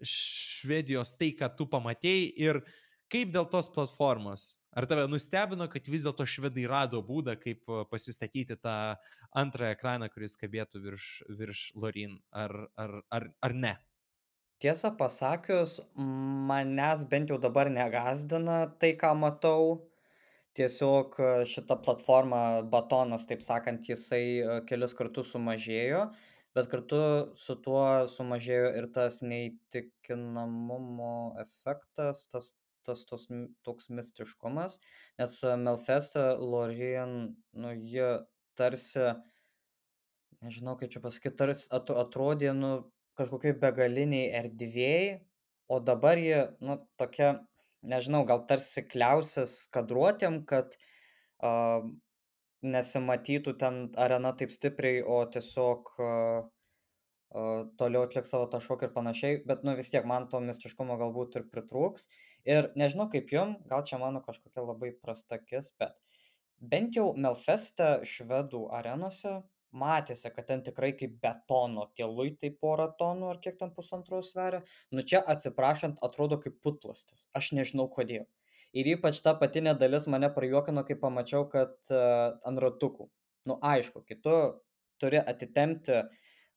Švedijos tai, ką tu pamatėjai ir kaip dėl tos platformos? Ar tave nustebino, kad vis dėlto švedai rado būdą, kaip pasistatyti tą antrą ekraną, kuris kabėtų virš Lorin, ar ne? Tiesą pasakius, manęs bent jau dabar negazdina tai, ką matau. Tiesiog šita platforma batonas, taip sakant, jisai kelis kartus sumažėjo, bet kartu su tuo sumažėjo ir tas neįtikinamumo efektas, toks mistiškumas, nes Melfeste Lorin, ji tarsi nežinau, kaip čia pasakyti, tarsi atrodė, nu, kažkokioj begaliniai erdvėj, o dabar ji, nu, tokia, nežinau, gal tarsi kliausis kadruotėm, kad a, nesimatytų ten arena taip stipriai, o tiesiog toliau atliks savo tą šokį ir panašiai, bet, nu, vis tiek man to mistiškumo galbūt ir pritrūks. Ir nežinau kaip jum, gal čia mano kažkokia labai prasta akis, bet bent jau Melfeste švedų arenose matėsi, kad ten tikrai kaip betono tie luitai porą tonų ar kiek ten pusantro sveria. Nu čia atsiprašant atrodo kaip putplastis. Aš nežinau kodėl. Ir ypač ta apatinė dalis mane prajuokino, kai pamačiau, kad ant ratukų. Nu aišku, kai tu turi atitempti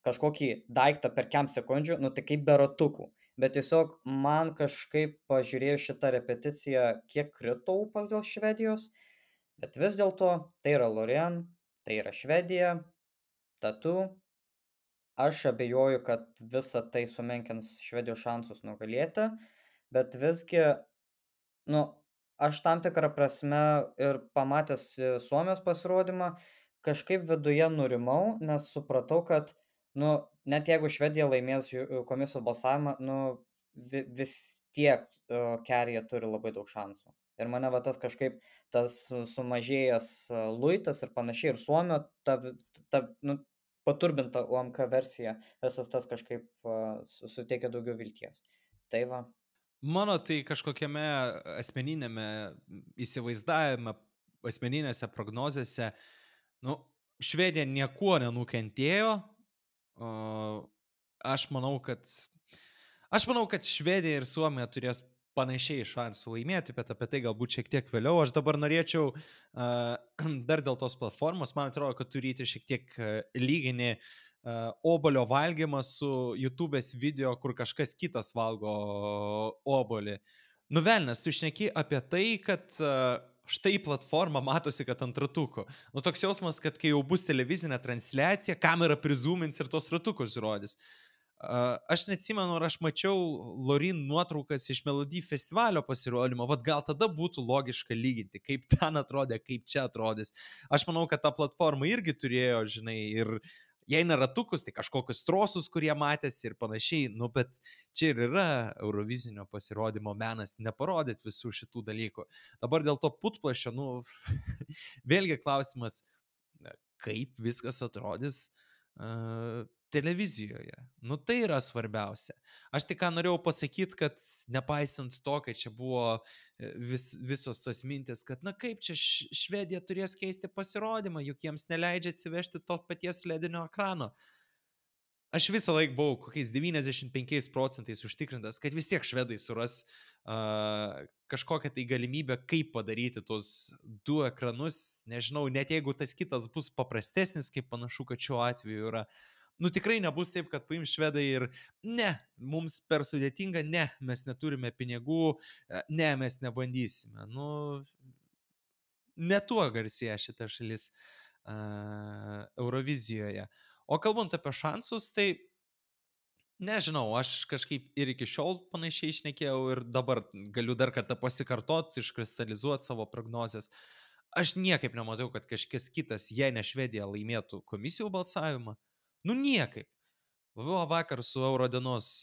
kažkokį daiktą per kem sekundžių, nu tai kaip be ratukų. Bet tiesiog man kažkaip pažiūrėjus šitą repeticiją, kiek krito ūpas dėl Švedijos, bet vis dėlto tai yra Loreen, tai yra Švedija, Tatu. Aš abejoju, kad visa tai sumenkins Švedijos šansus nugalėti, bet visgi, nu, aš tam tikrą prasme ir pamatęs Suomijos pasirodymą, kažkaip viduje nurimau, nes supratau, kad, nu, net jeigu Švedija laimės komisijos balsavimą, nu, vis tiek Kerija turi labai daug šansų. Ir mane va tas kažkaip, tas sumažėjęs luitas ir panašiai, ir Suomio, nu, paturbinta UMK versija, visas tas kažkaip suteikia daugiau vilties. Tai va. Mano tai kažkokiame asmeninėme įsivaizdavime, asmeninėse prognozėse, nu, Švedija niekuo nenukentėjo. Aš manau, kad Švedija ir Suomija turės panašiai šansų laimėti, bet apie tai galbūt šiek tiek vėliau. Aš dabar norėčiau dar dėl tos platformos, man atrodo, kad turite šiek tiek lyginį obolio valgymą su YouTube'ės video, kur kažkas kitas valgo obolį. Nuvelnės, tu šneki apie tai, kad štai platforma matosi, kad ant ratukų. Nu toks jausmas, kad kai jau bus televizinė transliacija, kamera prizūmins ir tos ratukus rodys. Aš neatsimenu, ar aš mačiau Loreen nuotraukas iš Melody festivalio pasirodymo, vat gal tada būtų logiška lyginti, kaip ten atrodė, kaip čia atrodys. Aš manau, kad ta platforma irgi turėjo, žinai, ir jei ne ratukus, tai kažkokius trosus, kurie matėsi ir panašiai, nu, bet čia ir yra Eurovizinio pasirodymo menas, neparodyti visų šitų dalykų. Dabar dėl to putplašio, nu, vėlgi klausimas, kaip viskas atrodys televizijoje. Nu tai yra svarbiausia. Aš tik ką norėjau pasakyti, kad nepaisant to, kad čia buvo visos tos mintis, kad na kaip čia Švedija turės keisti pasirodymą, juk jiems neleidžia atsivežti to paties ledinio ekrano. Aš visą laiką buvau kokiais 95% užtikrintas, kad vis tiek švedai suras kažkokią tai galimybę, kaip padaryti tos du ekranus. Nežinau, net jeigu tas kitas bus paprastesnis, kaip panašu, kad šiuo atveju yra. Nu tikrai nebus taip, kad paims švedai ir ne, mums per sudėtinga, ne, mes neturime pinigų, ne, mes nebandysime. Nu, ne tuo garsėja šita šalis Eurovizijoje. O kalbant apie šansus, tai nežinau, aš kažkaip ir iki šiol panašiai šnekėjau ir dabar galiu dar kartą pasikartoti, iškristalizuoti savo prognozes. Aš niekaip nematau, kad kažkas kitas, jei ne Švedija, laimėtų komisijų balsavimą. Nu niekaip. Vakar su Eurodienos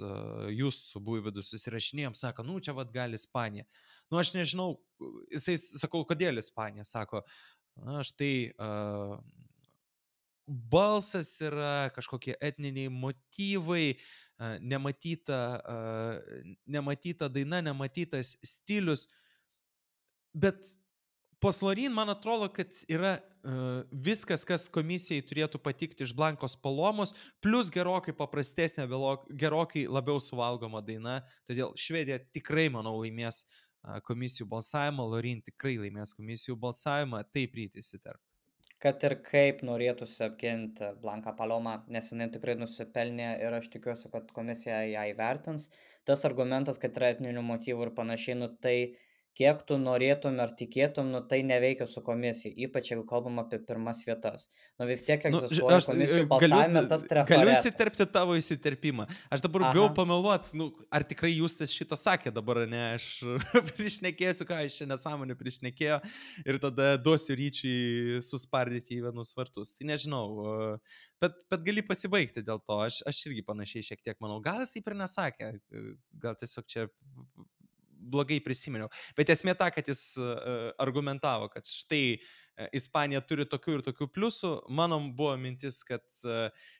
Justu Buivydu susirašinėjom, sako, nu čia vat gali Ispanija. Nu aš nežinau, jisai sakau, kodėl Ispanija, sako, aš tai balsas yra kažkokie etniniai motyvai, nematyta daina, nematytas stilius, bet pas Loreen man atrodo, kad yra viskas, kas komisijai turėtų patikti iš Blankos Palomos, plus gerokai paprastesnė, gerokai labiau suvalgoma daina. Todėl Švedija tikrai, manau, laimės komisijų balsavimą, Loreen tikrai laimės komisijų balsavimą, taip ryti įsiterp. Kad ir kaip norėtųsi apginti Blanką Palomą, nes jinai tikrai nusipelnė ir aš tikiuosi, kad komisija ją įvertins. Tas argumentas, kad yra etninių motyvų ir panašiai, nu tai kiek tu norėtum ar tikėtum, nu, tai neveikia su komisija, ypač jeigu kalbam apie pirmas vietas. Nu, vis tiek Nu, egzistuoja aš komisijų galiu, balsavime tas galiu trafaretas. įsiterpti tavo įsiterpimą. Aš dabar bijau Aha. pameluot, nu, ar tikrai Justas šitą sakė dabar, ne, aš priešnekėsiu, ką aš čia nesąmonė priešnekėjo ir tada duosiu Ryčiui suspardyti į vienus vartus. Tai nežinau, bet gali pasibaigti dėl to. Aš irgi panašiai šiek tiek manau. Gal jis taip ir nesakė, gal tiesiog čia blogai prisiminiau. Bet esmė ta, kad jis argumentavo, kad štai Ispanija turi tokių ir tokių pliusų. Mano buvo mintis, kad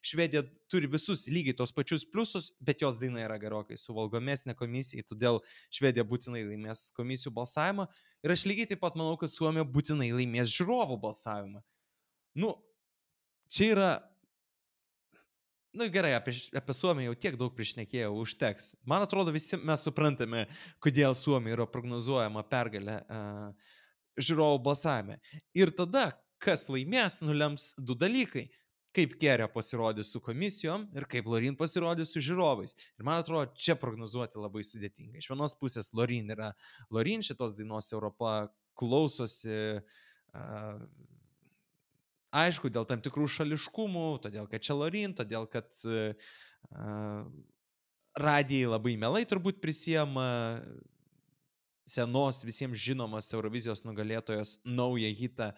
Švedija turi visus lygiai tos pačius pliusus, bet jos daina yra gerokai suvalgomesnė komisijai, todėl Švedija būtinai laimės komisijų balsavimą. Ir aš lygiai taip pat manau, kad Suomija būtinai laimės žiūrovų balsavimą. Nu, čia yra... Nu gerai, apie Suomiją jau tiek daug priešnekėjau, užteks. Man atrodo, visi mes suprantame, kodėl Suomija yra prognozuojama pergalė žiūrovų balsavime. Ir tada, kas laimės, nulems du dalykai. Kaip Kerė pasirodys su komisijom ir kaip Lorin pasirodys su žiūrovais. Ir man atrodo, čia prognozuoti labai sudėtinga. Iš vienos pusės Lorin yra Lorin, šitos dainos Europa klausosi... Aišku, dėl tam tikrų šališkumų, todėl kad čia Lorin, todėl kad radijai labai mielai turbūt prisiema senos visiems žinomos Eurovizijos nugalėtojos naują hitą,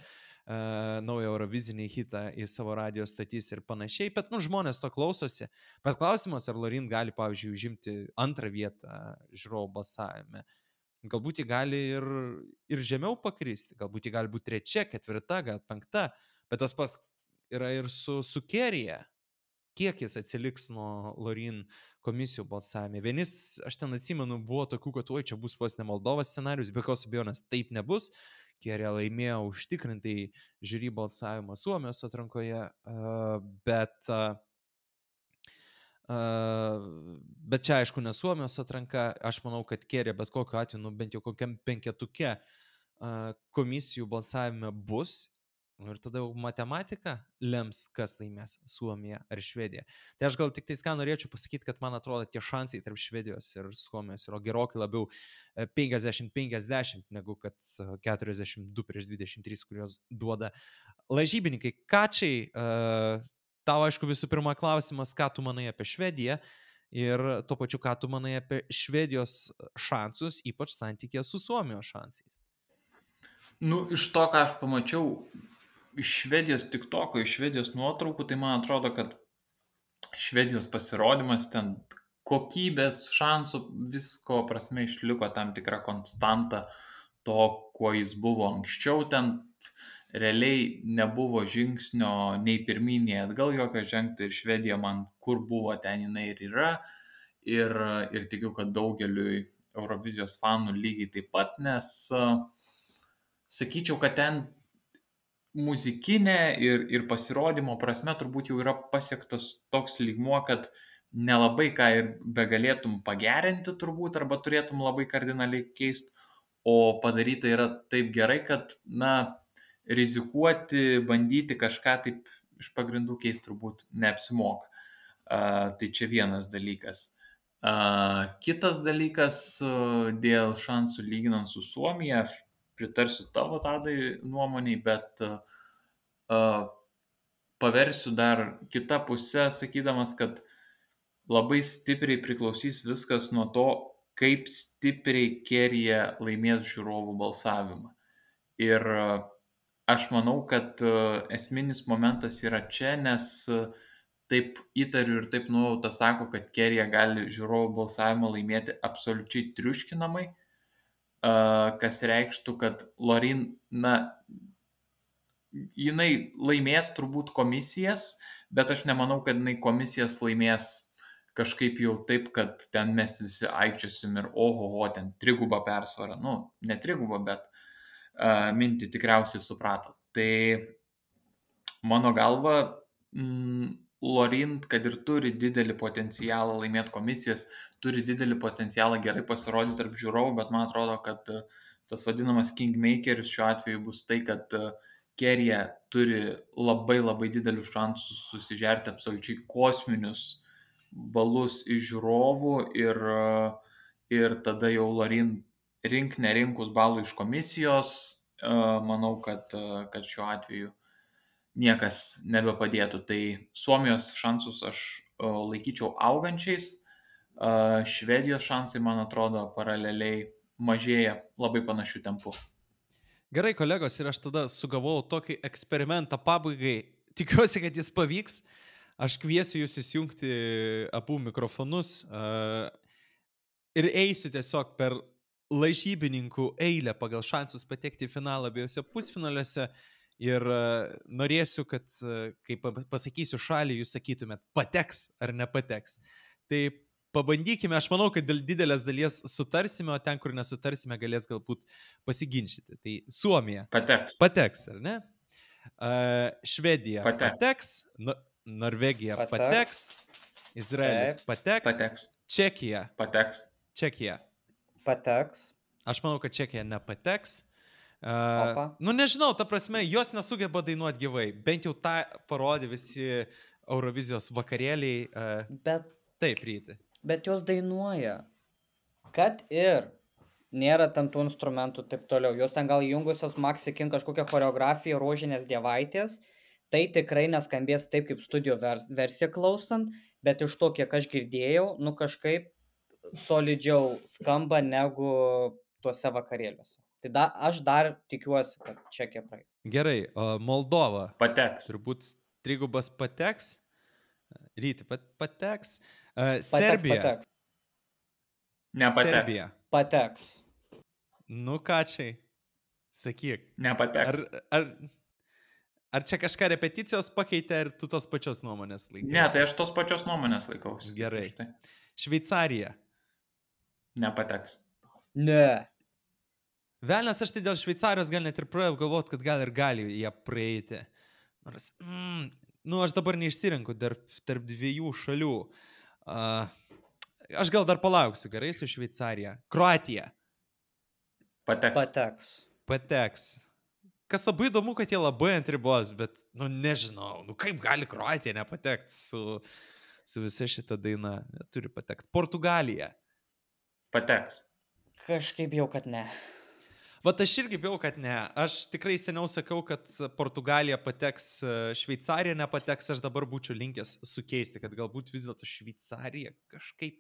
naują Eurovizinį hitą į savo radijos statys ir panašiai, bet žmonės to klausosi. Bet klausimas, ar Lorin gali, pavyzdžiui, užimti antrą vietą žiūrovų balsavime. Galbūt ji gali ir žemiau pakristi, galbūt ji gali būti trečia, ketvirta, gal penkta. Bet tas pas yra ir su Kerija. Kiek jis atsiliks nuo Lorin komisijų balsavime. Vienis, aš ten atsimenu, buvo tokių, kad čia bus vos ne Moldovos scenarius, be jokios abejonės taip nebus. Kerija laimėjo užtikrintai žiūri balsavimą Suomijos atrankoje, bet čia aišku ne Suomijos atranka. Aš manau, kad Kerija bet kokiu atveju, bent jau kokiam penketuke komisijų balsavime bus. Ir tada jau matematika lems, kas laimės Suomija ar Švedija. Tai aš gal tik tais ką norėčiau pasakyti, kad man atrodo tie šansai tarp Švedijos ir Suomijos yra gerokai labiau 50-50 negu kad 42-23, kurios duoda lažybininkai. Kačiai, tau aišku visų pirma klausimas, ką tu manai apie Švediją ir tuo pačiu, ką tu manai apie Švedijos šansus, ypač santykėje su Suomijos šansais. Nu, iš to, ką aš pamačiau iš Švedijos TikToko, iš Švedijos nuotraukų, tai man atrodo, kad Švedijos pasirodymas ten kokybės, šansų, visko prasme išliko tam tikra konstanta to, kuo jis buvo anksčiau. Ten realiai nebuvo žingsnio nei pirmyn, nei atgal jokio žengti ir Švedija man kur buvo, ten jinai ir yra. Ir tikiu, kad daugeliui Eurovizijos fanų lygiai taip pat, nes sakyčiau, kad ten muzikinė ir pasirodymo prasme turbūt jau yra pasiektas toks lygmuo, kad nelabai ką ir begalėtum pagerinti turbūt, arba turėtum labai kardinaliai keisti, o padaryta yra taip gerai, kad, rizikuoti, bandyti kažką taip iš pagrindų keisti turbūt neapsimoka. Tai čia vienas dalykas. Kitas dalykas dėl šansų lyginant su Suomija, aš pritarsiu tavo Tadai nuomoniai, bet paversiu dar kitą pusę, sakydamas, kad labai stipriai priklausys viskas nuo to, kaip stipriai Kerija laimės žiūrovų balsavimą. Ir aš manau, kad esminis momentas yra čia, nes taip įtariu ir taip nuojauta sako, kad Kerija gali žiūrovų balsavimą laimėti absoliučiai triuškinamai, kas reikštų, kad Lorin, jinai laimės turbūt komisijas, bet aš nemanau, kad jinai komisijas laimės kažkaip jau taip, kad ten mes visi aikčiosim ir ohoho, ten trigubą persvarą. Nu, ne trigubą, bet mintį tikriausiai suprato. Tai mano galva, Lorin, kad ir turi didelį potencialą laimėti komisijas, turi didelį potencialą gerai pasirodyti tarp žiūrovų, bet man atrodo, kad tas vadinamas kingmakeris šiuo atveju bus tai, kad Kerija turi labai labai didelius šansus susižerti absoliučiai kosminius balus iš žiūrovų ir tada jau Lorin nerinkus balų iš komisijos, manau, kad šiuo atveju niekas nebepadėtų. Tai Suomijos šansus aš laikyčiau augančiais, Švedijos šansai, man atrodo, paraleliai mažėja labai panašių tempų. Gerai, kolegos, ir aš tada sugavau tokį eksperimentą pabaigai. Tikiuosi, kad jis pavyks. Aš kviesiu jūs įsijungti abu mikrofonus ir eisiu tiesiog per lažybininkų eilę pagal šansus patekti į finalą abiejose pusfinaliuose. Ir norėsiu, kad, kai pasakysiu šalį, jūs sakytumėt, pateks ar nepateks. Tai pabandykime, aš manau, kad dėl didelės dalies sutarsime, o ten, kur nesutarsime, galės galbūt pasiginčyti. Tai Suomija pateks, ar ne? Švedija pateks, Norvegija pateks, Izraelis pateks, Čekija pateks. Aš manau, kad Čekija nepateks. Nu nežinau, ta prasme, jos nesugeba dainuoti gyvai. Bent jau tą parodė visi Eurovizijos vakarėliai. Taip, Ryti. Bet jos dainuoja. Kad ir nėra ten tų instrumentų taip toliau. Jos ten gal jungusios Maxi King kažkokią choreografiją Rožinės dievaitės. Tai tikrai neskambės taip, kaip studio versiją klausant, bet iš to, kiek aš girdėjau, nu kažkaip solidžiau skamba negu tuose vakarėliuose. Tai aš dar tikiuosi, kad Čekija praeis. Gerai, Moldova pateks. Turbūt trigubas pateks. Ryti pateks. Serbija. Pateks. Nepateks. Serbija. Pateks. Nu ką čia? Sakyk. Nepateks. Ar čia kažką repeticijos pakeitė, ar tu tos pačios nuomonės laikausi? Ne, tai aš tos pačios nuomonės laikausi. Gerai. Šveicarija. Nepateks. Ne. Velnes, aš tai dėl Šveicarijos gal net ir pradėjau galvoti, kad gal ir gali jie praeiti. Nors, aš dabar neišsirinku tarp dviejų šalių. Aš gal dar palauksiu, gerai, su Šveicarija. Kroatija. Pateks. Kas labai įdomu, kad jie labai ant ribos, bet, nežinau, kaip gali Kroatija nepatekti su visa šita daina. Turi patekti. Portugalija. Pateks. Kažkaip jau, kad ne. Vat aš irgi bijau, kad ne. Aš tikrai seniau sakiau, kad Portugalija pateks, Šveicarija nepateks, aš dabar būčiau linkęs sukeisti, kad galbūt vis dėlto Šveicarija kažkaip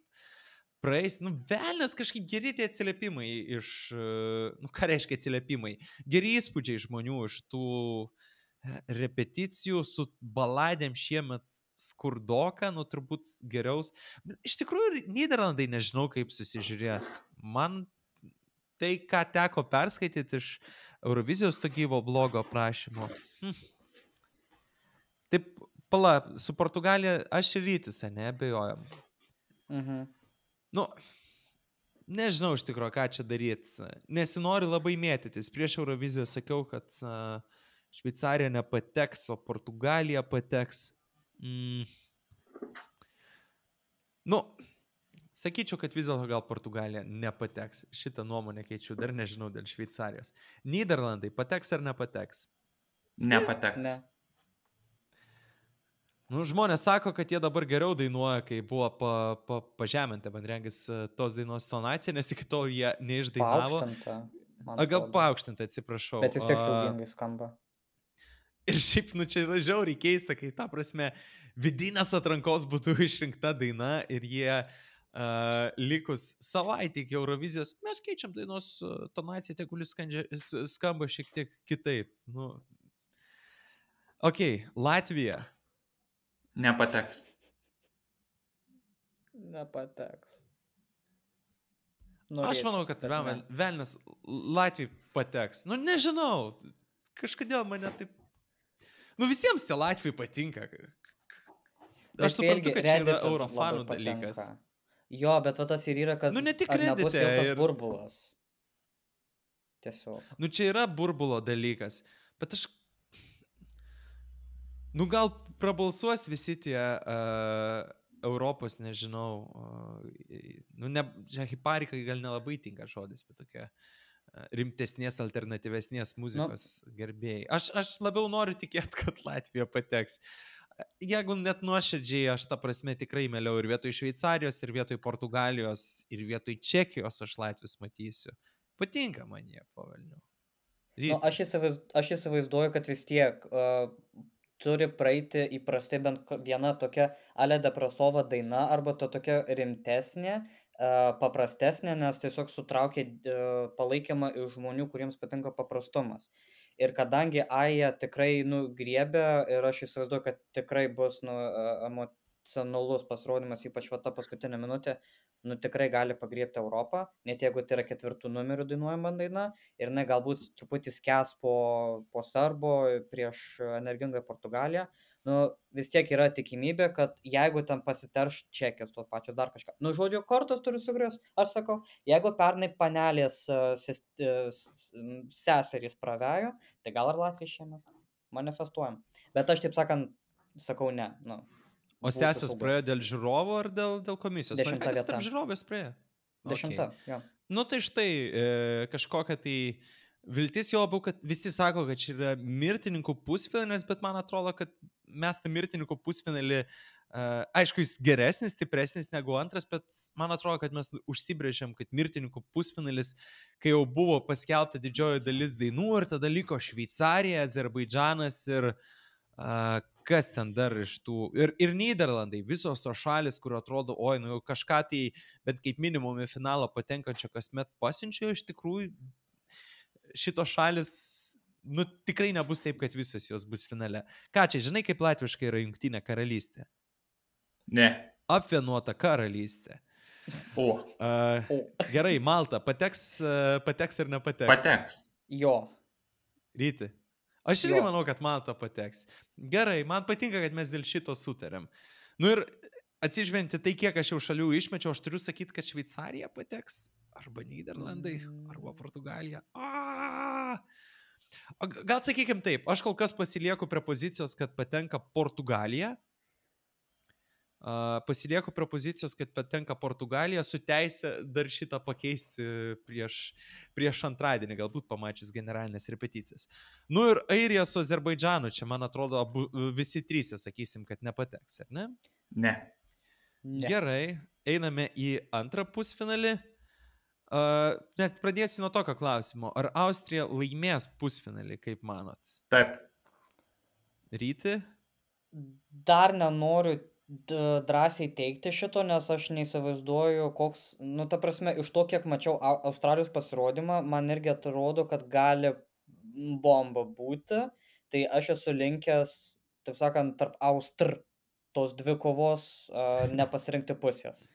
praeis. Velnes kažkaip geri tie atsiliepimai iš, ką reiškia atsiliepimai? Geri įspūdžiai žmonių iš tų repeticijų su baladėm šiemet skurdoka, turbūt geriaus. Iš tikrųjų, Nyderlandai nežinau, kaip susižiūrės. Man tai, ką teko perskaityti iš Eurovizijos to gyvo blogo aprašymo. Taip, su Portugalija aš ir Rytis, neabejojam. Nežinau iš tikrųjų, ką čia daryti. Nesinori labai mėtytis. Prieš Euroviziją sakiau, kad Šveicarija nepateks, o Portugalija pateks. Sakyčiau, kad vis dėlto gal Portugalija nepateks. Šitą nuomonę keičiu, dar nežinau dėl Šveicarijos. Nyderlandai pateks ar nepateks? Nepateks. Ne. Žmonės sako, kad jie dabar geriau dainuoja, kai buvo pažeminta, man regis, tos dainos tonacija, nes iki tol jie neišdainavo. Gal paaukštinta, atsiprašau. Bet vis tiek siaubingai skamba. Ir šiaip, čia yra žiauriai keista, kai ta prasme vidinės atrankos būtų išrinkta daina ir jie likus savaitę iki Eurovizijos, mes keičiam dainos tonaciją, kuris skamba šiek tiek kitaip. Latvija. Nepateks. Aš manau, kad velnes Latvijai pateks. Nežinau, kažkodėl mane taip... Visiems tie Latvijai patinka. Aš suprantu, kad čia yra eurofanų dalykas. Jo, bet tas ir yra, kad ne tik nebus jau tas burbulas. Tiesiog. Čia yra burbulo dalykas, bet aš... gal prabalsuos visi tie Europos, nežinau, hiparikai gal nelabai tinka žodis, bet tokia rimtesnės, alternatyvesnės muzikos gerbėjai. Aš labiau noriu tikėti, kad Latvija pateks. Jeigu net nuoširdžiai, aš ta prasme tikrai mieliau ir vietoj Šveicarijos, ir vietoj Portugalijos, ir vietoj Čekijos aš Latvius matysiu. Patinka man jie pavelnių. Nu, aš įsivaizduoju, kad vis tiek turi praeiti įprastai bent viena tokia Ale Depresova daina arba tokia rimtesnė, paprastesnė, nes tiesiog sutraukia palaikymą iš žmonių, kuriems patinka paprastumas. Ir kadangi Aja tikrai griebia ir aš įsivaizduoju, kad tikrai bus emocionalus pasirodymas, ypač ta paskutinė minutė, tikrai gali pagriebti Europą, net jeigu tai yra 4 numerių dainuojama daina, ir jinai galbūt truputį skęs po Serbo prieš energingą Portugaliją, vis tiek yra tikimybė, kad jeigu ten pasiterš Čekijos tos pačios dar kažką. Žodžiu, kortos turi sugrius, aš sakau, jeigu pernai panelės seserys pravejo, tai gal ir Latvija šiemet manifestuojam. Bet aš taip sakant, sakau ne. O sesės praėjo dėl žiūrovų ar dėl komisijos? 10 vieta. Tarp žiūrovės praėjo. 10, jo. Tai štai kažkokia tai viltis, jo labiau, kad visi sako, kad čia yra mirtininkų pusfinalis, bet man atrodo, kad mes tą mirtininkų pusfinalį, aišku, jis geresnis, stipresnis negu antras, bet man atrodo, kad mes užsibrėžėm, kad mirtininkų pusfinalis, kai jau buvo paskelbta didžioji dalis dainų ir tada liko Šveicarija, Azerbaidžanas ir kas ten dar iš tų, ir Nyderlandai, visos tos šalis, kur atrodo, jau kažką tai, bet kaip minimum į finalą patenkančio kasmet pasiunčia, iš tikrųjų šitos šalis, tikrai nebus taip, kad visos jos bus finale. Ką čia, žinai, kaip latviškai yra Jungtinė karalystė? Ne. Apvienuota karalystė. Gerai, Malta, pateks ar nepateks? Pateks. Jo. Ryti. Aš irgi manau, kad Malta pateks. Gerai, man patinka, kad mes dėl šito sutarėm. Ir atsižvelgiant tai, kiek aš jau šalių išmečiau, aš turiu sakyti, kad Šveicarija pateks. Arba Nyderlandai, arba Portugalija. Gal sakykim taip, aš kol kas pasilieku prie pozicijos, kad patenka Portugalija. Pasilieku prie pozicijos, kad patenka Portugalija, su teisė dar šitą pakeisti prieš antradienį, galbūt pamačius generalinės repeticijas. Ir Airija su Azerbaidžanu, čia man atrodo, visi trys, sakysim, kad nepateks, ar ne? Ne. Gerai, einame į antrą pusfinalį. Net pradėsiu nuo tokio klausimo. Ar Austrija laimės pusfinalį, kaip manot? Taip. Ryti? Dar nenoriu drąsiai teikti šito, nes aš neįsivaizduoju, koks, ta prasme, iš to, kiek mačiau Australijos pasirodymą, man irgi atrodo, kad gali bomba būti, tai aš esu linkęs, taip sakant, tarp tos dvi kovos nepasirinkti pusės.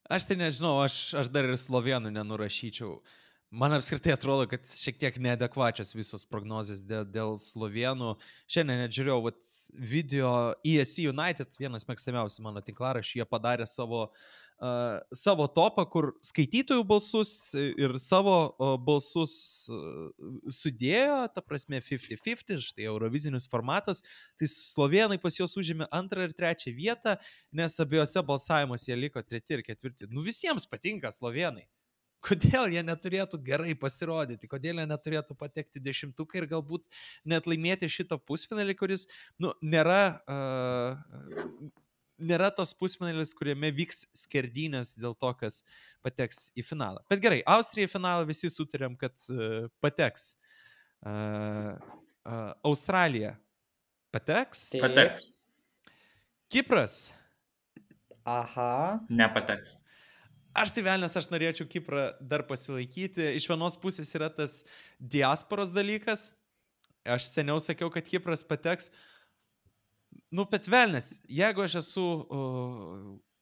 Aš tai nežinau, aš dar ir slovėnų nenurašyčiau. Man apskritai atrodo, kad šiek tiek neadekvačios visos prognozės dėl slovėnų. Šiandien net žiūrėjau video ESC United, vienas mėgstamiausių mano tinklaraščių, jie padarė savo topą, kur skaitytojų balsus ir savo balsus sudėjo, ta prasme 50-50, štai Eurovizinis formatas, tai slovėnai pas juos užėmė 2. ir 3. vietą, nes abiejose balsavimuose jie liko 3. ir 4. Visiems patinka slovėnai. Kodėl jie neturėtų gerai pasirodyti, kodėl jie neturėtų patekti 10 ir galbūt net laimėti šitą pusfinalį, kuris nėra tas pusfinalis, kuriame vyks skerdynės dėl to, kas pateks į finalą. Bet gerai, Austrija į finalą visi sutarėm, kad pateks. Australija pateks? Pateks. Kipras? Aha. Nepateks. Aš tai velnės, aš norėčiau Kiprą dar pasilaikyti. Iš vienos pusės yra tas diasporos dalykas. Aš seniau sakiau, kad Kipras pateks. Bet velnės, jeigu aš esu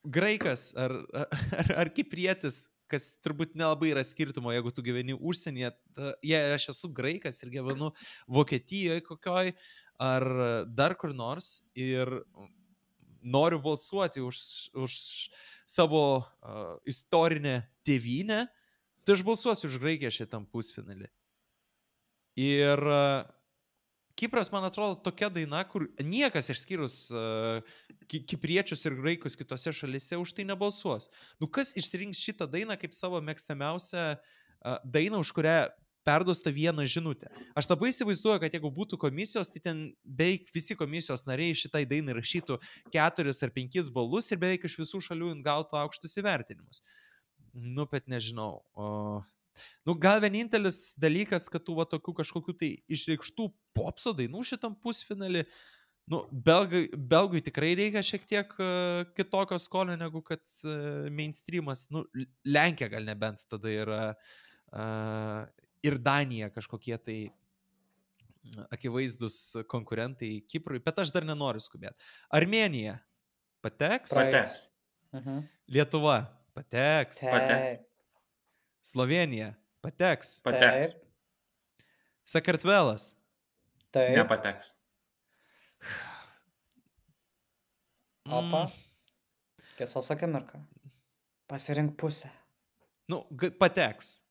graikas ar kiprietis, kas turbūt nelabai yra skirtumo, jeigu tu gyveni užsienyje, jei aš esu graikas ir gyvenu Vokietijoje kokioj, ar dar kur nors ir noriu balsuoti už savo istorinę tėvynę, tai aš balsuosiu už Graikiją šitam pusfinalį. Ir Kipras, man atrodo, tokia daina, kur niekas išskyrus kipriečius ir graikus kitose šalyse už tai nebalsuos. Kas išsirinks šitą dainą kaip savo mėgstamiausią dainą, už kurią perduosta vieną žinutę. Aš labai įsivaizduoju, kad jeigu būtų komisijos, tai ten beveik visi komisijos nariai šitai dainai rašytų 4 ar 5 balus ir beveik iš visų šalių gautų aukštus įvertinimus. Bet nežinau. Nu, gal vienintelis dalykas, kad tų va tokių kažkokių tai išreikštų popso dainų šitam pusfinalį, nu, belgui tikrai reikia šiek tiek kitokio skonio negu kad mainstreamas. Nu, Lenkija gal nebent tada yra ir Danija kažkokie tai akivaizdus konkurentai Kiprui, bet aš dar nenoriu skubėti. Armėnija pateks. Pateks. Lietuva pateks. Pateks. Slovenija pateks. Pateks. Sakartvelas Taip. Nepateks. Opa. Tiesos akimirka. Pasirink pusę. Nu, pateks.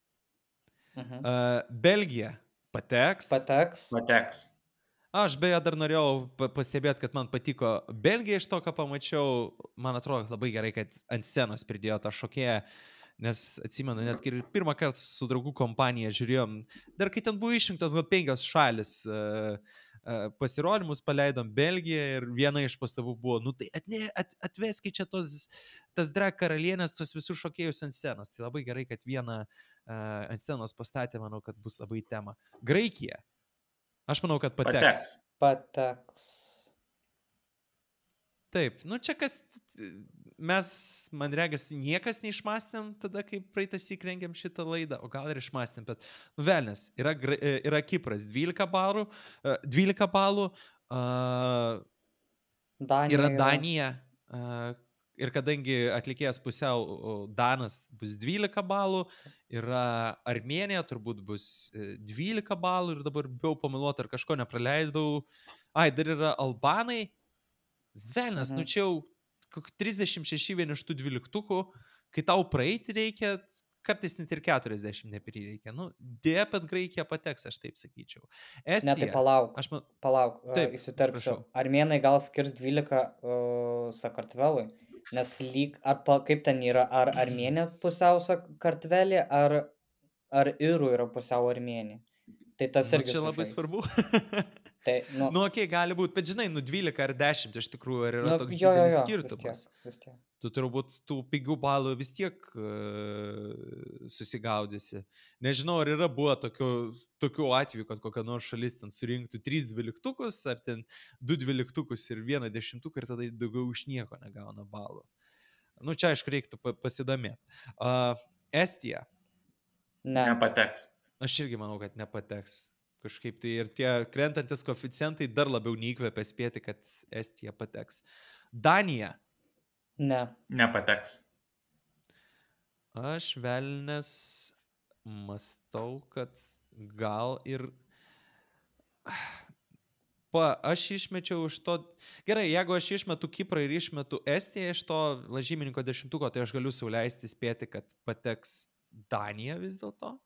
Belgija pateks. Pateks. Pateks. Aš beje dar norėjau pastebėti, kad man patiko Belgija iš to, ką pamačiau. Man atrodo labai gerai, kad ant scenos pridėjo tą šokėją, nes atsimenu, net ir pirmą kartą su draugų kompanija žiūrėjom, dar kai ten buvo išrinktas gal 5 šalis pasirodymus, paleidom Belgiją ir viena iš pastabų buvo, nu tai atveskit čia tas drag karalienės, tos visus šokėjus ant scenos. Tai labai gerai, kad vieną ant scenos pastatė, manau, kad bus labai tema. Graikija. Aš manau, kad pateks. Pateks. Taip, nu čia kas, mes, man regis, niekas neišmastėm tada, kai praeitas įkrengėm šitą laidą, o gal ir išmastėm, bet, nu velnės, yra Kipras 12 balų, yra Danija, ir kadangi atlikėjas pusiau Danas bus 12 balų, yra Armėnija, turbūt bus 12 balų ir dabar bijau pameluoti, ar kažko nepraleidau. Dar yra Albanai. Velnes, nu čia jau 36 vien iš tų 12, kai tau praeiti reikia, kartais net ir 40 neprireikia. Nu, dėja, bet Graikija pateks, aš taip sakyčiau. Estija. Ne, tai palauk, įsiterpsiu. Armėnai gal skirs 12 Sakartvelui, nes kaip ten yra, ar Armėnė pusiau Sakartvelė, ar Irų yra pusiau Armėnė. Tai tas irgi čia labai svarbu. Tai, okei, gali būti, bet žinai, 12 ar 10 iš tikrųjų, ar yra toks didelis skirtumas. Vis tiek. Tu turbūt tų pigių balų vis tiek susigaudysi. Nežinau, ar yra buvo tokių atvejų, kad kokia nors šalis ten surinktų 3 12-ukus, ar ten 2 12-ukus ir 1 10-uką ir tada daugiau iš nieko negauna balų. Nu, čia aišku reiktų pasidomėti. Estija. Nepateks. Aš irgi manau, kad nepateks. Kažkaip tai ir tie krentantis koeficientai dar labiau neįkvepia spėti, kad Estija pateks. Danija. Ne. Nepateks. Aš velnes mastau, kad gal ir... Aš išmečiau iš to... Gerai, jeigu aš išmetu Kiprą ir išmetu Estiją iš to lažymininko 10-uko, tai aš galiu sauliaisti spėti, kad pateks Danija vis dėlto.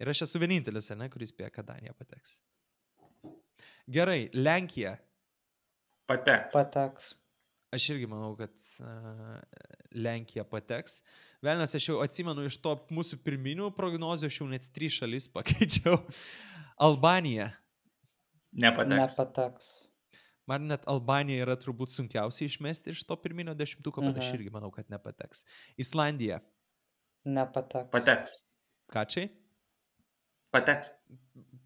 Ir aš esu vienintelis, kuris spėja, kad Danija pateks. Gerai, Lenkija. Pateks. Aš irgi manau, kad Lenkija pateks. Velnes, aš jau atsimenu iš to mūsų pirminių prognozių, aš jau net 3 šalis pakeičiau. Albanija. Nepateks. Man net Albanija yra turbūt sunkiausiai išmesti iš to pirminio 10-uko, bet aš irgi manau, kad nepateks. Islandija. Nepateks. Pateks. Kačiai? Pateks.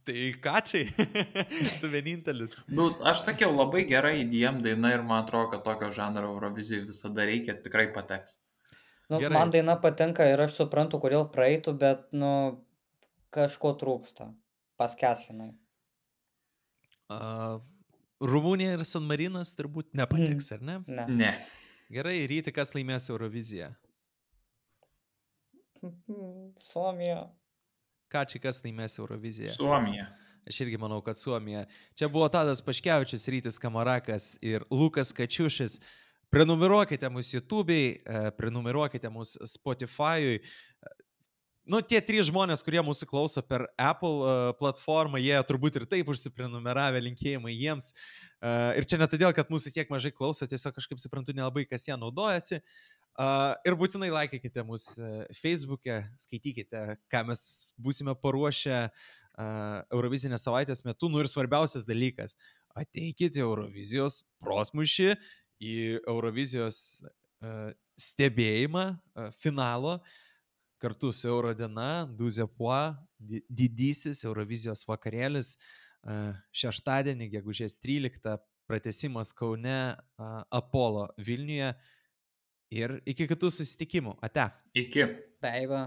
Tai kačiai? Tu vienintelis. Nu, aš sakiau, labai gerai įdėjom daina ir man atrodo, kad tokio žanro Eurovizijai visada reikia, tikrai pateks. Nu, man daina patinka ir aš suprantu, kodėl praeitų, bet, kažko trūksta. Paskeslinai. Rumunija ir San Marinas turbūt nepateks, ar ne? Ne. Gerai, Ryti, kas laimės Euroviziją? Suomija. Kačiai, kas laimės Euroviziją? Suomija. Aš irgi manau, kad Suomija. Čia buvo Tadas Paškevičius, Rytis Kamarakas ir Lukas Kačiušis. Prenumeruokite mūsų YouTube'ai, prenumeruokite mūsų Spotify'ui. Nu, tie 3 žmonės, kurie mūsų klauso per Apple platformą, jie turbūt ir taip užsiprenumeravę, linkėjimai jiems. Ir čia ne todėl, kad mūsų tiek mažai klauso, tiesiog kažkaip suprantu nelabai, kas ją naudojasi. Ir būtinai laikykite mus Facebook'e, skaitykite, ką mes būsime paruošę Eurovizinės savaitės metu. Nu ir svarbiausias dalykas, ateikite Eurovizijos protmūšį į Eurovizijos stebėjimą finalo. kartu su Eurodiena, 12 Pois, didysis Eurovizijos vakarėlis, šeštadienį, gegužės 13, pratęsimas Kaune, Apollo Vilniuje ir iki kitų susitikimų. Ate. Iki. Bye bye.